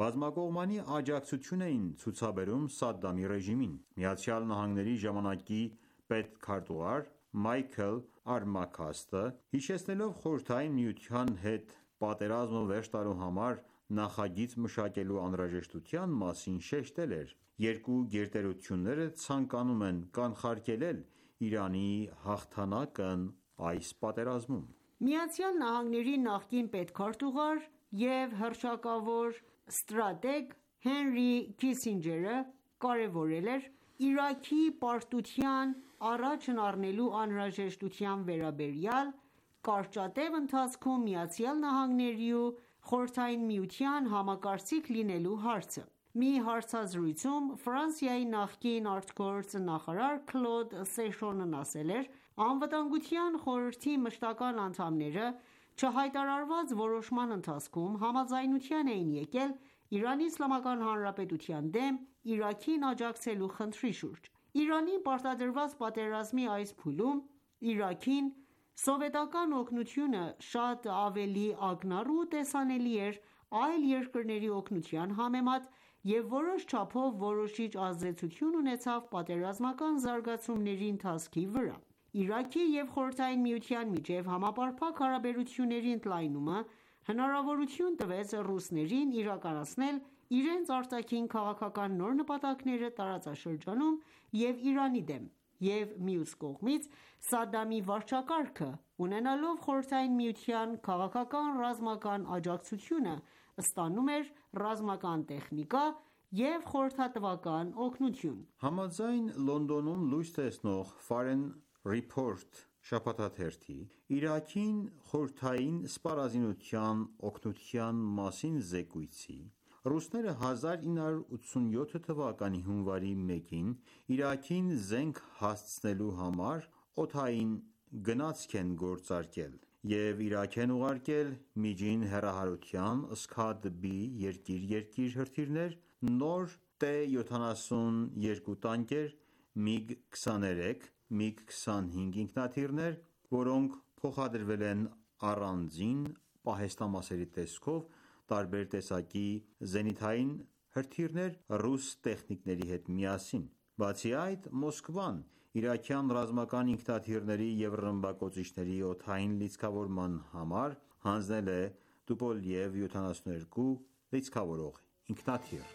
Speaker 3: բազմակողմանի աջակցություն էին ցուցաբերում Սադամի ռեժիմին։ ԱՄՆ-ի ժամանակի պետքարտուղար Մայքլ Արմաքաստը, հիշեցնելով Խորհրդային Միության հետ պատերազմը վերջ տալու համար նախագիծ մշակելու անհրաժեշտության մասին շեշտել էր.«Երկու գերտերությունները ցանկանում են կանխարգելել Իրանի հաղթանակն այս պատերազմում»։ ԱՄՆ-ի նախկին պետքարտուղար և հռչակավոր ստրատեգ Հենրի Քիսինջերը կարևորել էր Իրաքի պարտության առաջն առնելու անհրաժեշտության վերաբերյալ կարճատև ընթացքում ԱՄՆ-ի ու Խորհրդային Միության համակարծիք լինելու հարցը։ Մի հարցազրույցում Ֆրանսիայի նախկին ԱԳ նախարար Քլոդ Սեշոնն ասել էր.«Անվտանգության խորհրդի մշտական անդամները չհայտարարված որոշման ընթացքում համաձայնության էին եկել ԻԻՀ-ի դեմ Իրաքին աջակցելու խնդրի շուրջ։ Իրանին պարտադրված պատերազմի այս փուլում Իրաքին սովետական օգնությունը շատ ավելի ակնառու ու տեսանելի էր այլ երկրների օգնության համեմատ և որոշ չափով որոշիչ ազդեցություն ունեցավ պատերազմական զարգացումների ընթացքի վրա։ Իրաքի և Խորհրդային Միության միջև համապարփակ հարաբերությունների ընդլայնումը հնարավորություն տվեց ռուսներին իրականացնել իրենց արտաքին քաղաքական նոր նպատակները տարածաշրջանում և Իրանի դեմ, և մյուս կողմից Սադամի վարչակարգը, ունենալով Խորհրդային Միության քաղաքական-ռազմական աջակցությունը, ստանում էր ռազմական տեխնիկա և խորհրդատվական օգնություն»։
Speaker 2: Համաձայն Լոնդոնում լույս տեսնող Foreign Report շաբաթաթերթի, Իրաքին խորհրդային սպառազինության օգնության մասին զեկույցի, ռուսները 1987 թվականի հունվարի 1-ին Իրաքին զենք հասցնելու համար օդային գնացք են գործարկել և Իրաք են ուղարկել միջին հեռահարության Scud-B երկիր-երկիր հրթիռներ, նոր T-72 տանկեր, MiG-23, MiG-25 ինքնաթիռներ, որոնք փոխադրվել են առանձին պահեստամասերի տեսքով տարբեր տեսակի զենիթային հրթիռներ ռուս տեխնիկների հետ միասին։ Բացի այդ, Մոսկվան իրաքյան ռազմական ինքնաթիռների և ռմբակոծիչների օդային լիցքավորման համար հանձնել է Tupolev 72 լիցքավորող ինքնաթիռ։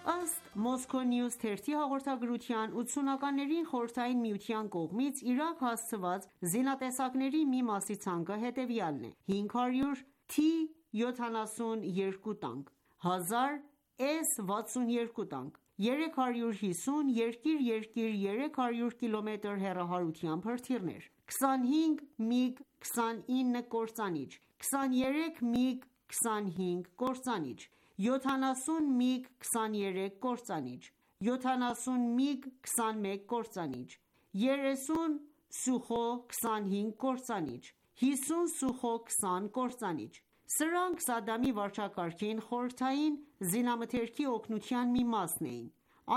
Speaker 3: Ըստ Moscow News թերթի հաղորդագրության, 80-ականներին Խորհրդային Միության կողմից Իրաք հասցված զինատեսակների մի մասի ցանկը հետևյալն է՝ 500 T-72 տանկ, 1000 S-62 տանկ, 350 երկիր-երկիր 300 կմ հեռահարությամբ հրթիռներ, 25 MiG-29 կործանիչ, 23 MiG-25 կործանիչ, 70 MiG-23 կործանիչ, 70 MiG-21 կործանիչ, 30 Sukhoi-25 կործանիչ, 50 Sukhoi-20 կործանիչ։ Սրանք Սադամի վարչակարգին խորհրդային զինամթերքի օգնության մի մասն էին։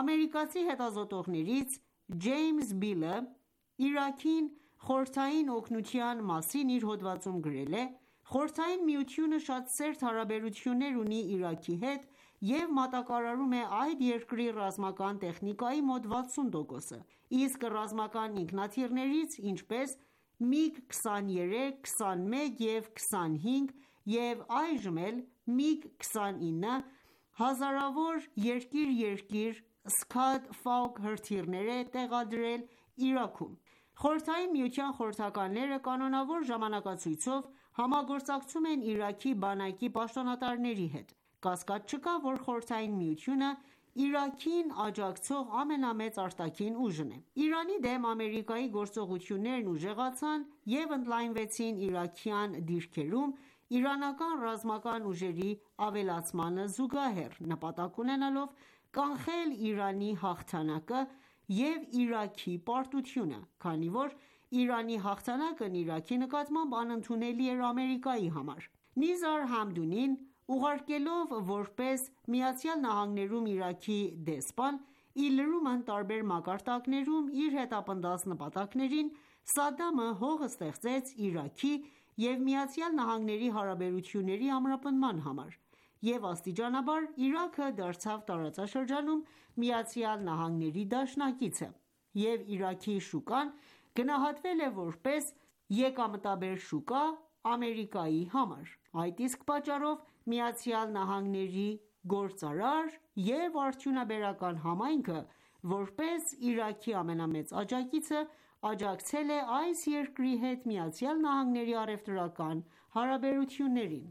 Speaker 3: Ամերիկացի հետազոտողներից Ջեյմս Բիլը Իրաքին խորհրդային օգնության մասին իր հոդվածում գրել է.«Խորհրդային Միությունը շատ սերտ հարաբերություններ ունի Իրաքի հետ և մատակարարում է այդ երկրի ռազմական տեխնիկայի մոտ 60%-ը, իսկ ռազմական ինքնաթիռներից, ինչպես MiG-23, 21 և 25 և այժմ էլ MiG-29, հազարավոր երկիր-երկիր Scud հրթիռներ է տեղադրել Իրաքում։ Խորհրդային Միության խորհրդականները կանոնավոր ժամանակացույցով համագործակցում են Իրաքի բանակի պաշտոնատարների հետ։ Կասկած չկա, որ Խորհրդային Միությունը Իրաքին աջակցող ամենամեծ արտաքին ուժն է։ Իրանի դեմ Ամերիկայի գործողություններն ուժեղացան և ընդլայնվեցին իրաքյան դիրքերում իրանական ռազմական ուժերի ավելացմանը զուգահեռ, նպատակ ունենալով կանխել Իրանի հաղթանակը և Իրաքի պարտությունը, քանի որ Իրանի հաղթանակն Իրաքի նկատմամբ անընդունելի էր Ամերիկայի համար։ Նիզար Համդունին ուղարկելով որպես ԱՄՆ-ում Իրաքի դեսպան, ի լրումն տարբեր մակարդակներում իր հետապնդած նպատակներին, Սադամը հող ստեղծեց Իրաքի և ԱՄՆ-ի հարաբերությունների ամրապնդման համար, և աստիճանաբար Իրաքը դարձավ տարածաշրջանում ԱՄՆ-ի դաշնակիցը, և Իրաքի շուկան գնահատվել է որպես եկամտաբեր շուկա Ամերիկայի համար։ Այդ իսկ պատճառով ԱՄՆ-ի գործարար և արդյունաբերական համայնքը, որպես Իրաքի ամենամեծ աջակիցը, աջակցել է այս երկրի հետ ԱՄՆ-ի առևտրական հարաբերություններին։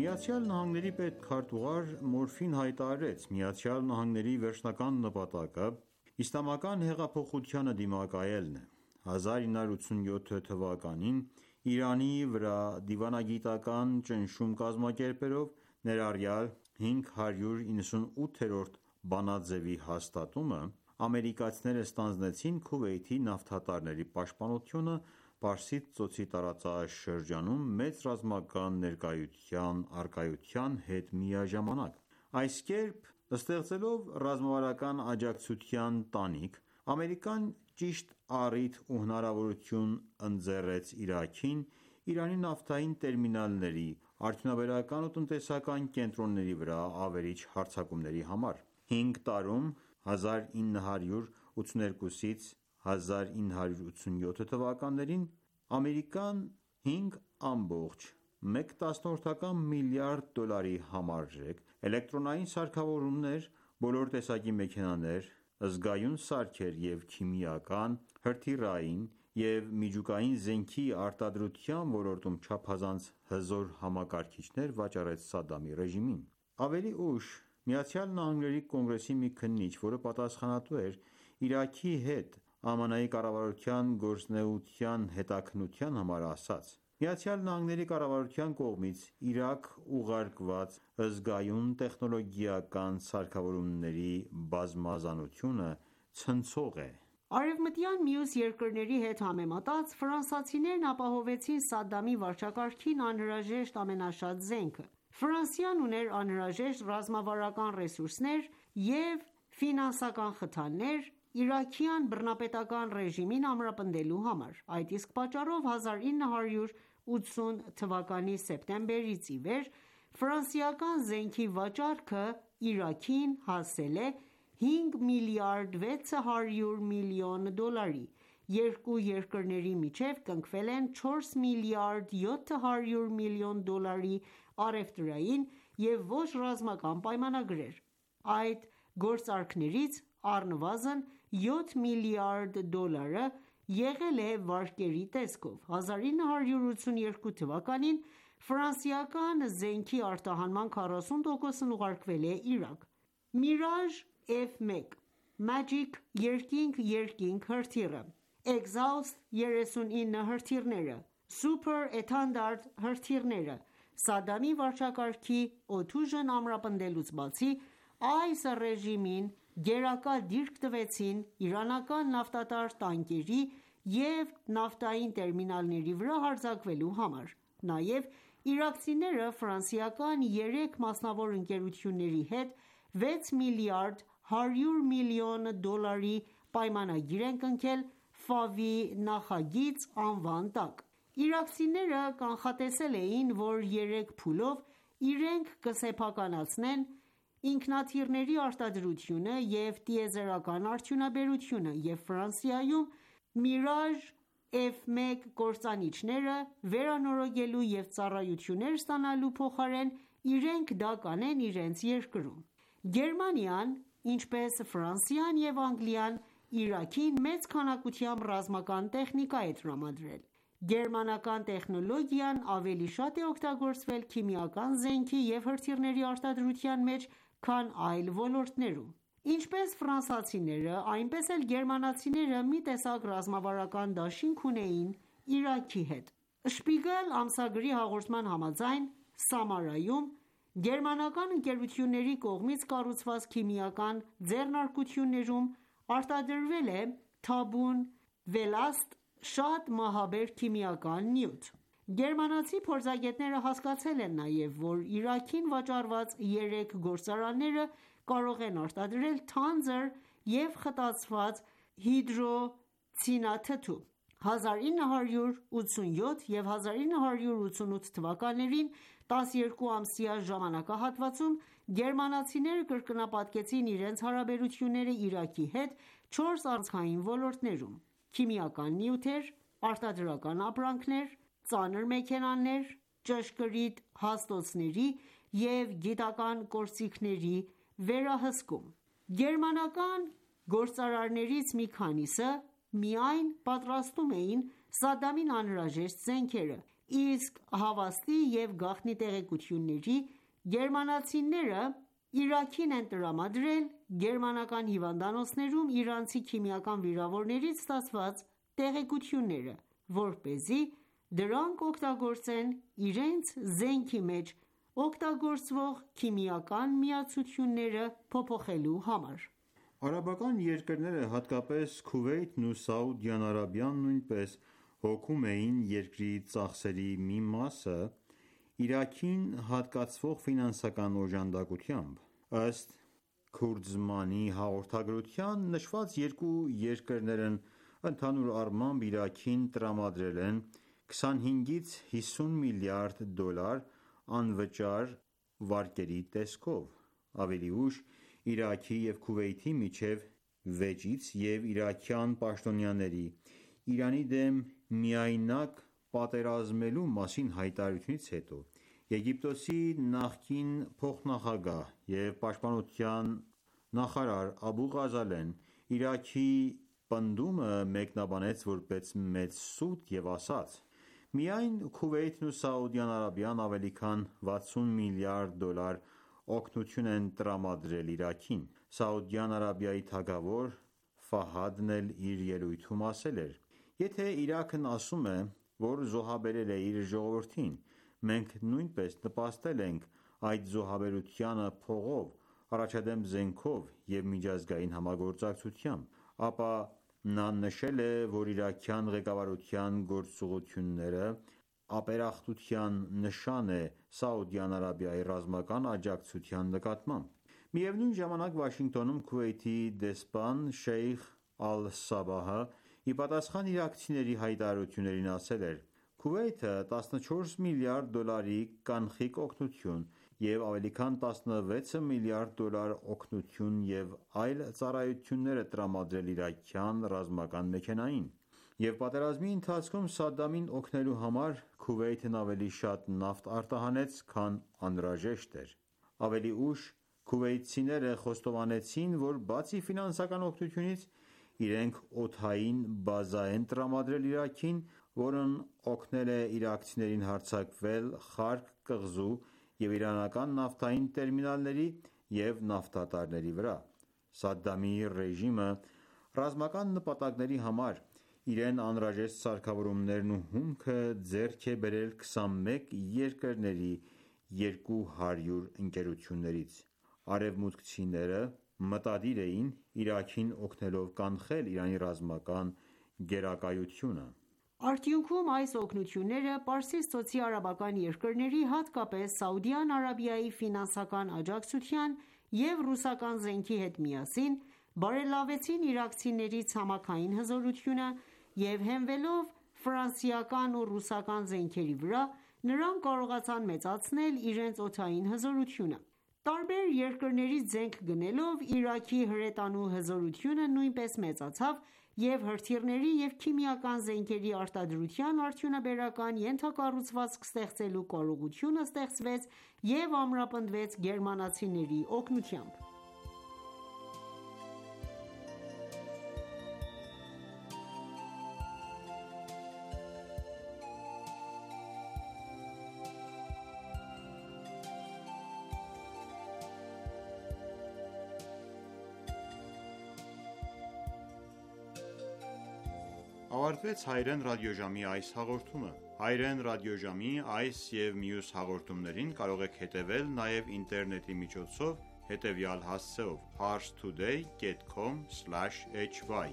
Speaker 2: ԱՄՆ-ի պետքարտուղար Մորֆին հայտարարեց. «ԱՄՆ-ի վերջնական նպատակը իսլամական հեղափոխությանը դիմակայելն է»: 1987 թվականին Իրանի վրա դիվանագիտական ճնշում կազմակերպելով, ներառյալ 598-րդ բանաձեւի հաստատումը, ամերիկացիները ստանձնեցին Քուվեյթի նավթատարների պաշտպանությունը Պարսից ծոցի տարածաշրջանում մեծ ռազմական ներկայության առկայության հետ միաժամանակ: Այս կերպ ստեղծելով ռազմավարական աջակցության տանիք, Ամերիկան ճիշտ առիթ ու հնարավորություն ընձեռեց Իրաքին Իրանի նավթային տերմինալների, արդյունաբերական ու տնտեսական կենտրոնների վրա ավերիչ հարձակումների համար: 5 տարում 1982-ից 1987 թվականներին Ամերիկան $5.1 միլիարդ համարժեք էլեկտրոնային սարքավորումներ, բոլոր տեսակի մեքենաներ, զգայուն սարքեր և քիմիական, հրթիռային և միջուկային զենքի արտադրության ոլորտում չափազանց հզոր համակարգիչներ վաճառեց Սադամի ռեժիմին: Ավելի ուշ ԱՄՆ Կոնգրեսի մի քննիչ, որը պատասխանատու էր Իրաքի հետ ԱՄՆ-ի կառավարության գործունեության հետաքննության համար, ասաց. «ԱՄՆ կառավարության կողմից Իրաք ուղարկված զգայուն տեխնոլոգիական սարքավորումների բազմազանությունը ցնցող է»:
Speaker 3: Արևմտյան մյուս երկրների հետ համեմատած ֆրանսիացիներն ապահովեցին Սադամի վարչակարգին անհրաժեշտ ամենաշատ զենքը: Ֆրանսիան ուներ անհրաժեշտ ռազմավարական ռեսուրսներ և ֆինանսական խթաններ իրաքյան բռնապետական ռեժիմին ամրապնդելու համար: Այդ իսկ պատճառով 1980 թվականի սեպտեմբերից ի վեր ֆրանսիական զենքի վաճառքը Իրաքին հասել է $5 միլիարդ 600 միլիոն, երկու երկրների միջև կնքվել են $4 միլիարդ 700 միլիոն առևտրային և ոչ ռազմական պայմանագրեր: Այդ գործարքներից առնվազն $7 միլիարդ եղել է վարկերի տեսքով: 1982 թվականին ֆրանսիական զենքի արտահանման 40%-ն ուղարկվել է Իրաք: Mirage F1, Magic երկինք-երկինք հրթիռը, Exhaust 39 հրթիռները, Super Étendard հրթիռները Սադամի վարչակարգի օդուժն ամրապնդելուց բացի, այս ռեժիմին գերակա դիրք տվեցին իրանական նավթատար տանկերի և նավթային տերմինալների վրա հարձակվելու համար: Նաև իրաքցիները ֆրանսիական 3 մասնավոր ընկերությունների հետ $6 միլիարդ 100 միլիոն պայմանագիր են կնքել Ֆավի նախագիծ անվան տակ: Իրաքցիները կանխատեսել էին, որ 3 փուլով իրենք կսեփականացնեն ինքնաթիռների արտադրությունը և տիեզերական արդյունաբերությունը և Ֆրանսիայում Mirage F1 կործանիչները վերանորոգելու և ծառայություններ ստանալու փոխարեն իրենք դա կանեն իրենց երկրում: Գերմանիան, ինչպես Ֆրանսիան և Անգլիան, Իրաքին մեծ քանակությամբ ռազմական տեխնիկա է տրամադրել: Գերմանական տեխնոլոգիան ավելի շատ է օգտագործվել քիմիական զենքի և հրթիռների արտադրության մեջ, քան այլ ոլորտներում: Ինչպես ֆրանսիացիները, այնպես էլ գերմանացիները մի տեսակ ռազմավարական դաշինք ունեին Իրաքի հետ: Spiegel ամսագրի հաղորդման համաձայն, Սամարայում գերմանական ընկերությունների կողմից կառուցված քիմիական ձեռնարկություններում արտադրվել է թաբուն վելաստ շատ մահաբեր քիմիական նյութ: Գերմանացի փորձագետները հասկացել են նաև, որ Իրաքին վաճառված 3 գործարանները կարող են արտադրել թանձր և խտացված հիդրոցինաթթու: 1987 և 1988 թվականներին 12-ամսյա ժամանակահատվածում գերմանացիները կրկնապատկեցին իրենց հարաբերությունները Իրաքի հետ 4 առանցքային ոլորտներում՝ քիմիական նյութեր, արտադրական ապրանքներ, ծանր մեքենաներ, ճշգրիտ հաստոցների և գիտական գործիքների վերահսկում: Գերմանական գործարարներից մի քանիսը միայն պատրաստում էին Սադամին անհրաժեշտ զենքերը, իսկ հավաստի և գաղտնի տեղեկությունների գերմանացիները Իրաքին են տրամադրել գերմանական հիվանդանոցներում իրանցի քիմիական վիրավորներից ստացված տեղեկությունները, որպեսզի դրանք օգտագործեն իրենց զենքի մեջ օգտագործվող քիմիական միացությունները փոփոխելու համար:
Speaker 2: Արաբական երկրները, հատկապես Քուվեյթն ու Սաուդյան Արաբիան նույնպես հոգում էին երկրի ծախսերի մի մասը Իրաքին հատկացվող ֆինանսական օժանդակությամբ: Ըստ Քուրձմանի հաղորդագրության, նշված երկու երկրներն ընդհանուր առմամբ Իրաքին տրամադրել են 25-ից 50 միլիարդ դոլար անվճար վարկերի տեսքով: Ավելի ուշ Իրաքի և Քուվեյթի միջև վեճից և իրաքյան պաշտոնյաների Իրանի դեմ միայնակ պատերազմելու մասին հայտարարությունից հետո, Եգիպտոսի նախկին փոխնախագահ և պաշտպանության նախարար Աբու Ղազալեն Իրաքի պնդումը մեկնաբանեց որպես մեծ սուտ և ասաց. «Միայն Քուվեյթն ու Սաուդյան Արաբիան ավելի քան 60 միլիարդ դոլար օգնություն են տրամադրել Իրաքին»: Սաուդյան Արաբիայի թագավոր Ֆահադն էլ իր ելույթում ասել էր. «Եթե Իրաքն ասում է, որ զոհաբերել է իր ժողովրդին, մենք նույնպես նպաստել ենք այդ զոհաբերությանը փողով, առաջադեմ զենքով և միջազգային համագործակցությամբ»: Ապա նա նշել է, որ իրաքյան ղեկավարության գործողությունները ապերախտության նշան է Սաուդյան Արաբիայի ռազմական աջակցության նկատմամբ: Միևնույն ժամանակ Վաշինգտոնում Քուվեյթի դեսպան Շեյխ Ալ-Սաբահը ի պատասխան իրաքցիների հայտարարություններին ասել էր. «Քուվեյթը 14 միլիարդ դոլարի կանխիկ օգնություն և ավելի քան 16 միլիարդ դոլար օգնություն և այլ ծառայություններ է տրամադրել իրաքյան ռազմական մեքենային: Եվ պատերազմի ընթացքում Սադամին օգնելու համար Քուվեյթն ավելի շատ նավթ արտահանեց, քան անհրաժեշտ էր»: Ավելի ուշ քուվեյթցիները խոստովանեցին, որ բացի ֆինանսական օգնությունից, իրենք օդային բազա են տրամադրել Իրաքին, որն օգնել է իրաքցիներին հարձակվել Խարկ կղզու և իրանական նավթային տերմինալների և նավթատարների վրա: Սադամի ռեժիմը ռազմական նպատակների համար իրեն անհրաժեշտ սարքավորումներն ու հումքը ձեռք է բերել 21 երկրների 200 ընկերություններից: Արևմուտքցիները մտադիր էին Իրաքին օգնելով կանխել Իրանի ռազմական գերակայությունը:
Speaker 3: Արդյունքում այս օգնությունները Պարսից ծոցի արաբական երկրների, հատկապես Սաուդյան Արաբիայի ֆինանսական աջակցության և ռուսական զենքի հետ միասին, բարելավեցին իրաքցիների ցամաքային հզորությունը և հենվելով ֆրանսիական ու ռուսական զենքերի վրա, նրանք կարողացան մեծացնել իրենց օդային հզորությունը: Տարբեր երկրներից զենք գնելով Իրաքի հրետանու հզորությունը նույնպես մեծացավ և հրթիռների և քիմիական զենքերի արտադրության արդյունաբերական ենթակառուցվածք ստեղծելու կարողությունը ստեղծվեց և ամրապնդվեց գերմանացիների օգնությամբ:
Speaker 2: Ավարտվեց Հայրեն ռադիոժամի այս հաղորդումը: Հայրեն ռադիոժամի այս և մյուս հաղորդումներին կարող եք հետևել նաև ինտերնետի միջոցով հետևյալ հասցեով՝ parstoday.com/hy: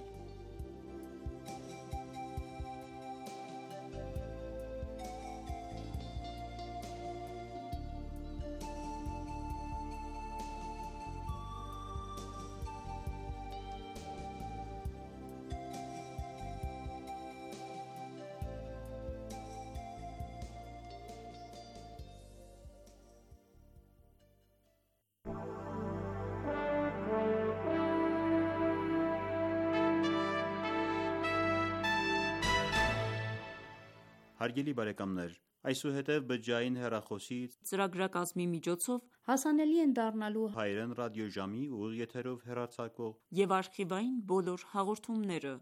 Speaker 2: Հարգելի բարեկամներ, այսուհետև բջջային հեռախոսի
Speaker 4: ծրագրակազմի միջոցով հասանելի են դառնալու
Speaker 2: հայերեն ռադիոժամի ուղիղ եթերով հեռարձակվող
Speaker 4: և արխիվային բոլոր հաղորդումները։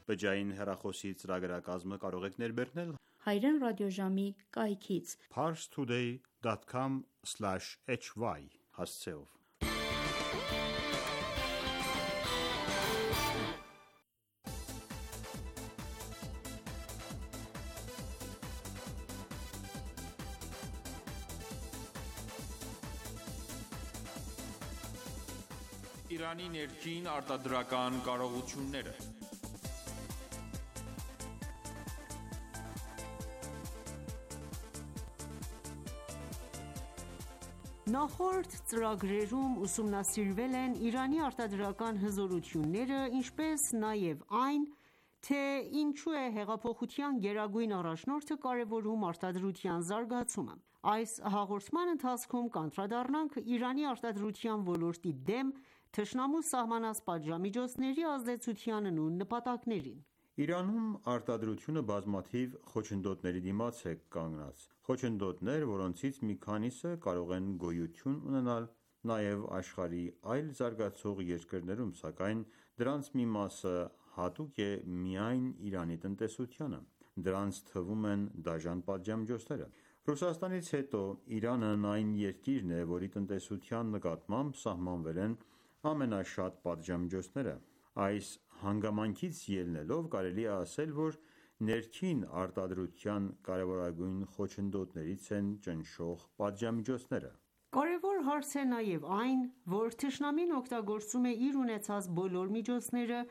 Speaker 2: Բջջային հեռախոսի ծրագրակազմը կարող եք ներբեռնել
Speaker 4: հայերեն ռադիոժամի կայքից
Speaker 2: parstoday.com/hy հասցեով։
Speaker 5: Իրանի ներքին արտադրական կարողությունները։
Speaker 3: Նախորդ ծրագրերում ուսումնասիրվել են Իրանի արտադրական հզորությունները, ինչպես նաև այն, թե ինչու է հեղափոխության գերագույն առաջնորդը կարևորում արտադրության զարգացումը։ Այս հաղորդման ընթացքում կանդրադառնանք Իրանի արտադրության ոլորտի դեմ թշնամու սահմանած պատժամիջոցների ազդեցությանն ու նպատակներին։
Speaker 2: Իրանում արտադրությունը բազմաթիվ խոչընդոտների դիմաց է կանգնած։ Խոչընդոտներ, որոնցից մի քանիսը կարող են գոյություն ունենալ նաև աշխարհի այլ զարգացող երկրներում, սակայն դրանց մի մասը հատուկ է միայն Իրանի տնտեսությանը։ Դրանց թվում են դաժան պատժամիջոցները։ Ռուսաստանից հետո Իրանն այն երկիրն է, որի տնտեսության նկատմամբ սահմանվել են ամենաշատ պատժամիջոցները։ Այս հանգամանքից ելնելով կարելի է ասել, որ ներքին արտադրության կարևորագույն խոչընդոտներից են ճնշող պատժամիջոցները։
Speaker 3: Կարևոր հարց է նաև այն, որ թշնամին օգտագործում է իր ունեցած բոլոր միջոցները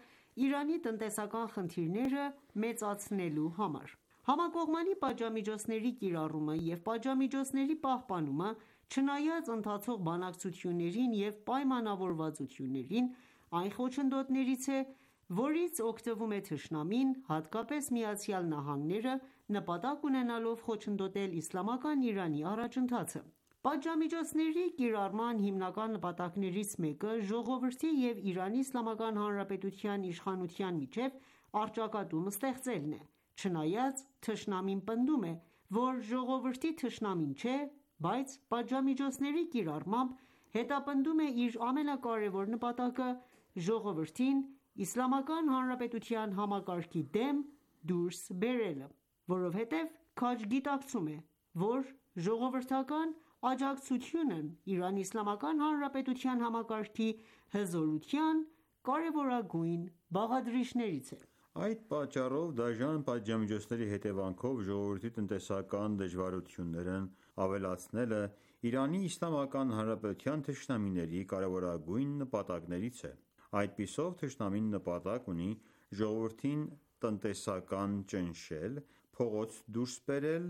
Speaker 3: Իրանի տնտեսական խնդիրները մեծացնելու համար։ Համակողմանի պատժամիջոցների կիրառումը և պատժամիջոցների պահպանումը, չնայած ընթացող բանակցություններին և պայմանավորվածություններին, այն խոչընդոտներից է, որից օգտվում է թշնամին, հատկապես ԱՄՆ-ը, նպատակ ունենալով խոչընդոտել իսլամական Իրանի առաջընթացը։ Պատժամիջոցների կիրառման հիմնական նպատակներից մեկը ժողովրդի և Իրանի Իսլամական Հանրապետության իշխանության միջև առճակատում ստեղծելն է։ Չնայած թշնամին պնդում է, որ ժողովրդի թշնամին չէ, բայց պատժամիջոցների կիրառմամբ հետապնդում է իր ամենակարևոր նպատակը՝ ժողովրդին Իսլամական Հանրապետության համակարգի դեմ դուրս բերելը, որովհետև քաջ գիտակցում է, որ ժողովրդական աջակցությունն Իրանի Իսլամական Հանրապետության համակարգի հզորության կարևորագույն բաղադրիչներից է։
Speaker 2: Այդ պատճառով դաժան պատժամիջոցների հետևանքով ժողովրդի տնտեսական դժվարություններն ավելացնելը Իրանի Իսլամական Հանրապետության թշնամիների կարևորագույն նպատակներից է։ Այդպիսով թշնամին նպատակ ունի ժողովրդին տնտեսական ճնշել, փողոց դուրս բերել,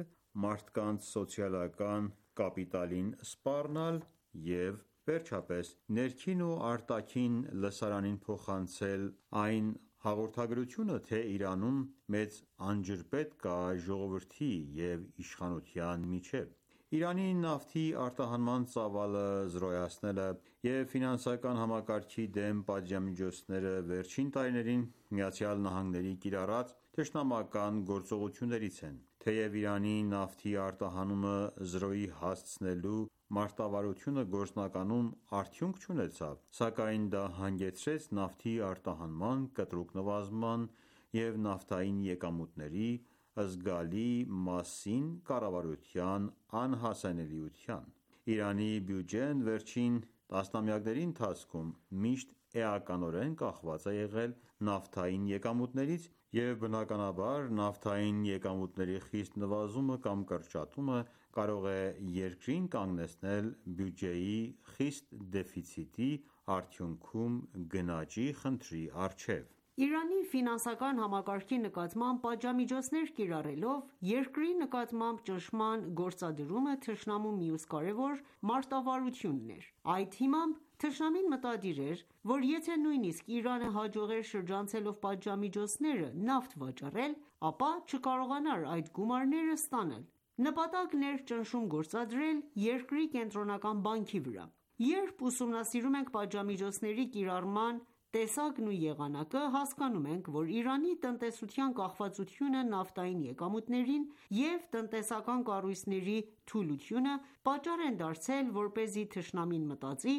Speaker 2: մարդկանց սոցիալական կապիտալին սպառնալ և վերջապես ներքին ու արտաքին լսարանին փոխանցել այն հաղորդագրությունը, թե Իրանում մեծ անջրպետ կա ժողովրդի և իշխանության միջև։ Իրանի նավթի արտահանման ծավալը զրոյացնելը և ֆինանսական համակարգի դեմ պատժամիջոցները վերջին տարիներին ԱՄՆ-ի կիրառած թշնամական գործողություններից են։ Թեև Իրանի նավթի արտահանումը զրոյի հասցնելու մարտավարությունը գործնականում արդյունք չունեցավ, սակայն դա հանգեցրեց նավթի արտահանման կտրուկ նվազման և նավթային եկամուտների զգալի մասին կառավարության անհասանելիության։ Իրանի բյուջեն վերջին տասնամյակների ընթացքում միշտ էականորեն կախված է եղել նավթային եկամուտներից, և բնականաբար նավթային եկամուտների խիստ նվազումը կամ կրճատումը կարող է երկրին կանգնեցնել բյուջեի խիստ դեֆիցիտի, արդյունքում գնաճի խնդրի առջև։
Speaker 3: Իրանի ֆինանսական համակարգի նկատմամբ պատժամիջոցներ կիրառելով երկրի նկատմամբ ճնշման գործադրումը թշնամու մյուս կարևոր մարտավարությունն էր։ Այդ հիմամբ թշնամին մտադիր էր, որ եթե նույնիսկ Իրանը հաջողեր շրջանցելով պատժամիջոցները նավթ վաճառել, ապա չկարողանար այդ գումարները ստանալ։ Նպատակն էր ճնշում գործադրել երկրի կենտրոնական բանկի վրա։ Երբ ուսումնասիրում ենք պատժամիջոցների կիրառման տեսակն ու եղանակը, հասկանում ենք, որ Իրանի տնտեսության կախվածությունը նավթային եկամուտներին և տնտեսական կառույցների թուլությունը պատճառ են դարձել, որպեսզի թշնամին մտածի,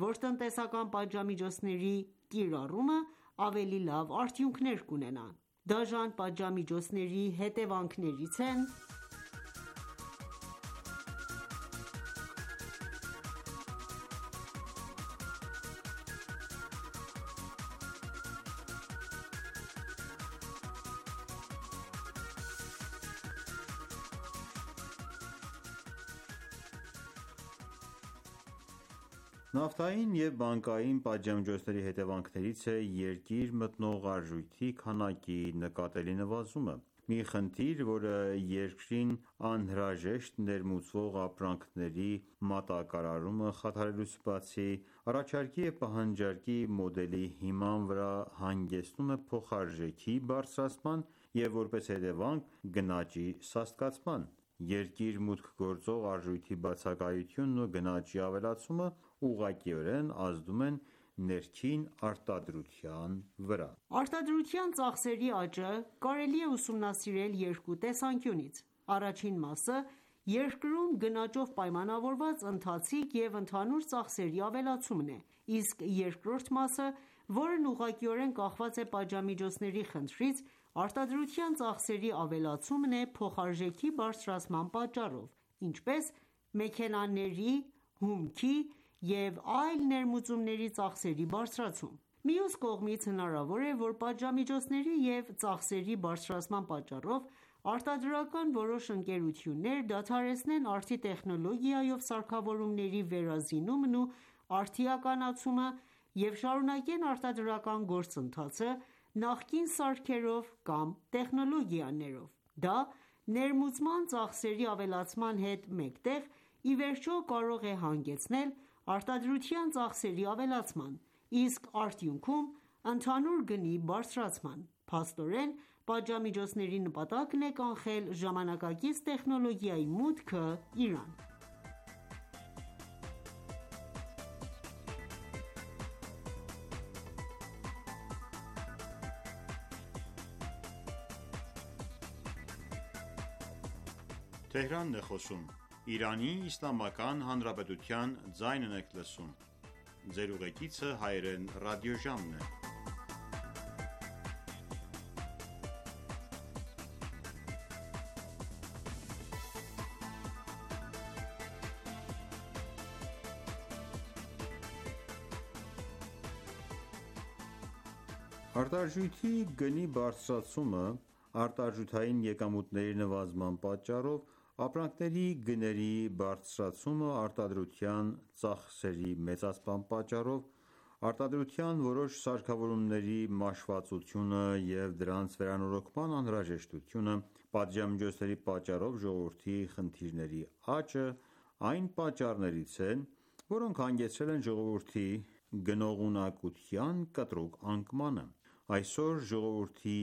Speaker 3: որ տնտեսական պատժամիջոցների կիրառումը ավելի լավ արդյունքներ կունենա: Դաժան պատժամիջոցների հետևանքներից են
Speaker 2: Նավթային և բանկային պատժամիջոցների հետևանքներից է երկիր մտնող արժույթի քանակի նկատելի նվազումը: Մի խնդիր, որը երկրին անհրաժեշտ ներմուծվող ապրանքների մատակարարումը խաթարելուց բացի, առաջարկի և պահանջարկի մոդելի հիման վրա հանգեցնում է փոխարժեքի բարձրացման և որպես հետևանք գնաճի սաստկացման: Երկիր մուտք գործող արժույթի բացակայությունն ու գնաճի ավելացումը ուղղակիորեն ազդում են ներքին արտադրության վրա:
Speaker 3: Արտադրության ծախսերի աճը կարելի է ուսումնասիրել երկու տեսանկյունից: Առաջին մասը երկրում գնաճով պայմանավորված ընթացիկ և ընդհանուր ծախսերի ավելացումն է, իսկ երկրորդ մասը, որն ուղղակիորեն կախված է պատժամիջոցների խնդրից, արտադրության ծախսերի ավելացումն է փոխարժեքի բարձրացման պատճառով, ինչպես մեքենաների, հումքի և այլ ներմուծումների ծախսերի բարձրացում: Մյուս կողմից, հնարավոր է, որ պատժամիջոցների և ծախսերի բարձրացման պատճառով արտադրական որոշ ընկերություններ դադարեցնեն արդի տեխնոլոգիայով սարքավորումների վերազինումն ու արդիականացումը և շարունակեն արտադրական գործընթացը նախկին սարքերով կամ տեխնոլոգիաներով: Դա ներմուծման ծախսերի ավելացման հետ մեկտեղ, ի վերջո կարող է հանգեցնել արտադրության ծախսերի ավելացման, իսկ արդյունքում ընդհանուր գնի բարձրացման: Փաստորեն, պատժամիջոցների նպատակն է կանխել ժամանակակից տեխնոլոգիայի մուտքը Իրան:
Speaker 2: Արտարժույթի գնի բարձրացումը, արտարժութային եկամուտների նվազման պատճառով, ապրանքների գների բարձրացումը արտադրության ծախսերի մեծացման պատճառով, արտադրության որոշ սարքավորումների մաշվածությունը և դրանց վերանորոգման անհրաժեշտությունը, պատժամիջոցների պատճառով ժողովրդի խնդիրների աճը այն պատճառներից են, որոնք հանգեցրել են ժողովրդի գնողունակության կտրուկ անկմանը: Այսօր ժողովրդի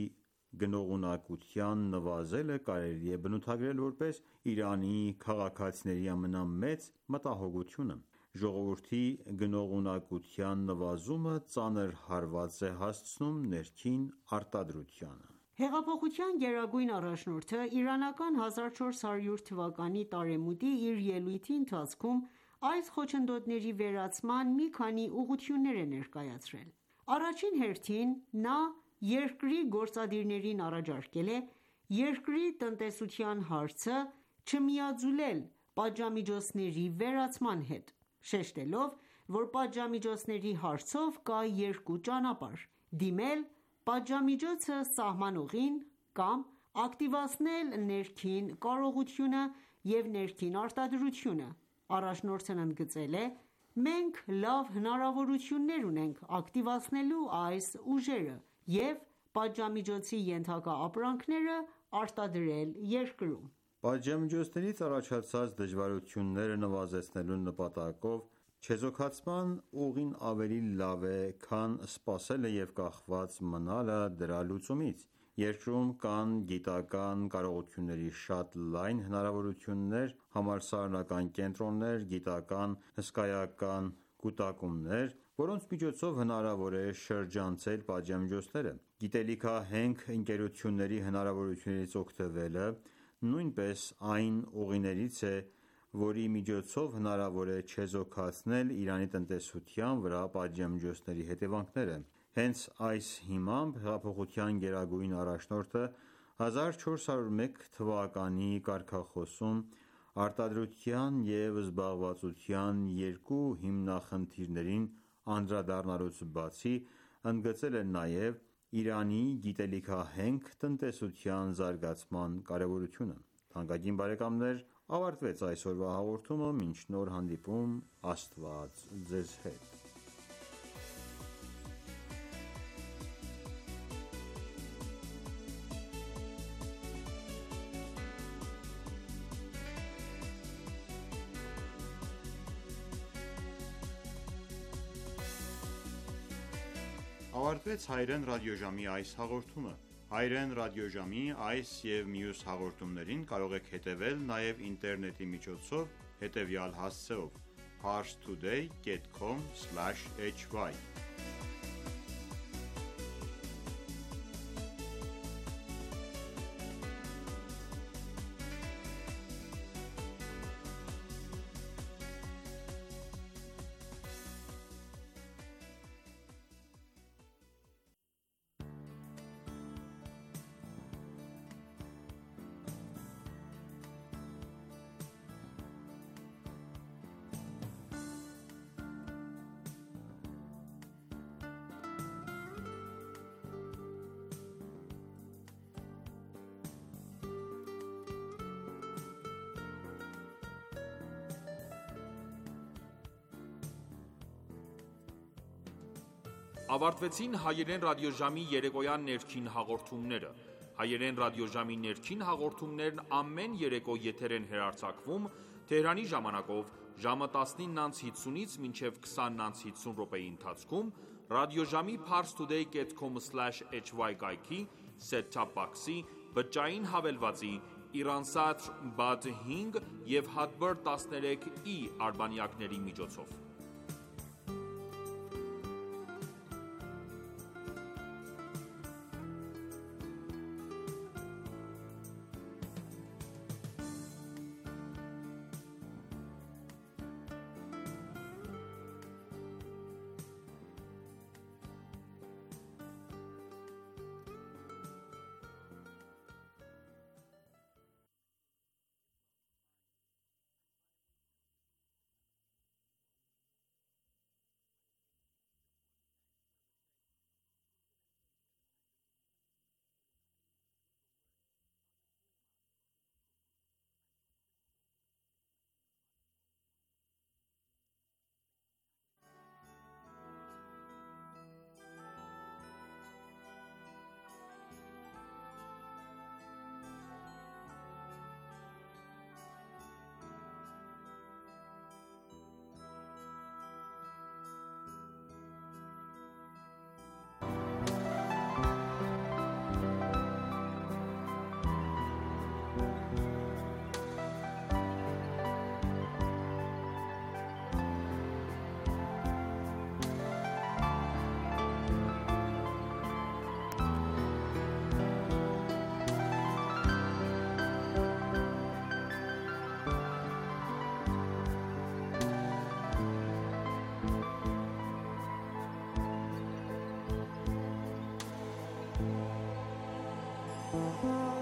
Speaker 2: գնողունակության նվազելը կարելի է բնութագրել որպես Իրանի քաղաքացիների ամենամեծ մտահոգությունը: Ժողովրդի գնողունակության նվազումը ծանր հարված է հասցնում ներքին արտադրությանը:
Speaker 3: Հեղափոխության գերագույն առաջնորդը իրանական 1400 թվականի տարեմուտի իր ելույթի ընթացքում այս խոչընդոտների վերացման մի քանի ուղղություններ է ներկայացրել: Առաջին հերթին նա երկրի գործադիրներին առաջարկել է երկրի տնտեսության հարցը չմիաձուլել պատժամիջոցների վերացման հետ, շեշտելով, որ պատժամիջոցների հարցով կա երկու ճանապարհ՝ դիմել պատժամիջոցը սահմանողին կամ ակտիվացնել ներքին կարողությունը և ներքին արտադրությունը: Առաջնորդն ընդգծել է.«Մենք լավ հնարավորություններ ունենք ակտիվացնելու այս ուժերը և պատժամիջոցի ենթակա ապրանքները արտադրել երկրում»:
Speaker 2: Պատժամիջոցներից առաջացած դժվարությունները նվազեցնելու նպատակով չեզոքացման ուղին ավելի լավ է, քան սպասելը և կախված մնալը դրա լուծումից: Երկրում կան գիտական կարողությունների շատ լայն հնարավորություններ, համալսարանական կենտրոններ, գիտական հսկայական կուտակումներ, որոնց միջոցով հնարավոր է շրջանցել պատժամիջոցները։ Գիտելիքահենք ընկերությունների հնարավորություններից օգտվելը նույնպես այն ուղիներից է, որի միջոցով հնարավոր է չեզոքացնել Իրանի տնտեսության վրա պատժամիջոցների հետևանքները։ Հենց այս հիմամբ հեղափոխության գերագույն առաջնորդը 1401 թվականի կարգախոսում արտադրության և զբաղվածության երկու հիմնախնդիրներին անդրադառնալուց բացի, ընդգծել է նաև Իրանի գիտելիքահենք տնտեսության զարգացման կարևորությունը։ Թանկագին բարեկամներ, ավարտվեց այսօրվա հաղորդումը, մինչ նոր հանդիպում, Աստված ձեզ հետ։ Ավարտվեց Հայրեն ռադիոժամի այս հաղորդումը։ Հայրեն ռադիոժամի այս և մյուս հաղորդումներին կարող եք հետևել նաև ինտերնետի միջոցով հետևյալ հասցեով՝ parstoday.com/hy
Speaker 5: Ավարտվեցին հայերեն ռադիոժամի երեկոյան ներքին հաղորդումները։ Հայերեն ռադիոժամի ներքին հաղորդումներն ամեն երեկո եթեր են հեռարձակվում Թեհրանի ժամանակով ժամը 19:50-ից մինչև 20:50 րոպեի ընթացքում ռադիոժամի parstoday.com/hy կայքի set-top box-ի, բջջային հավելվածի, Iransat Bad 5 և Hadbir 13i արբանյակների միջոցով։
Speaker 6: Thank you.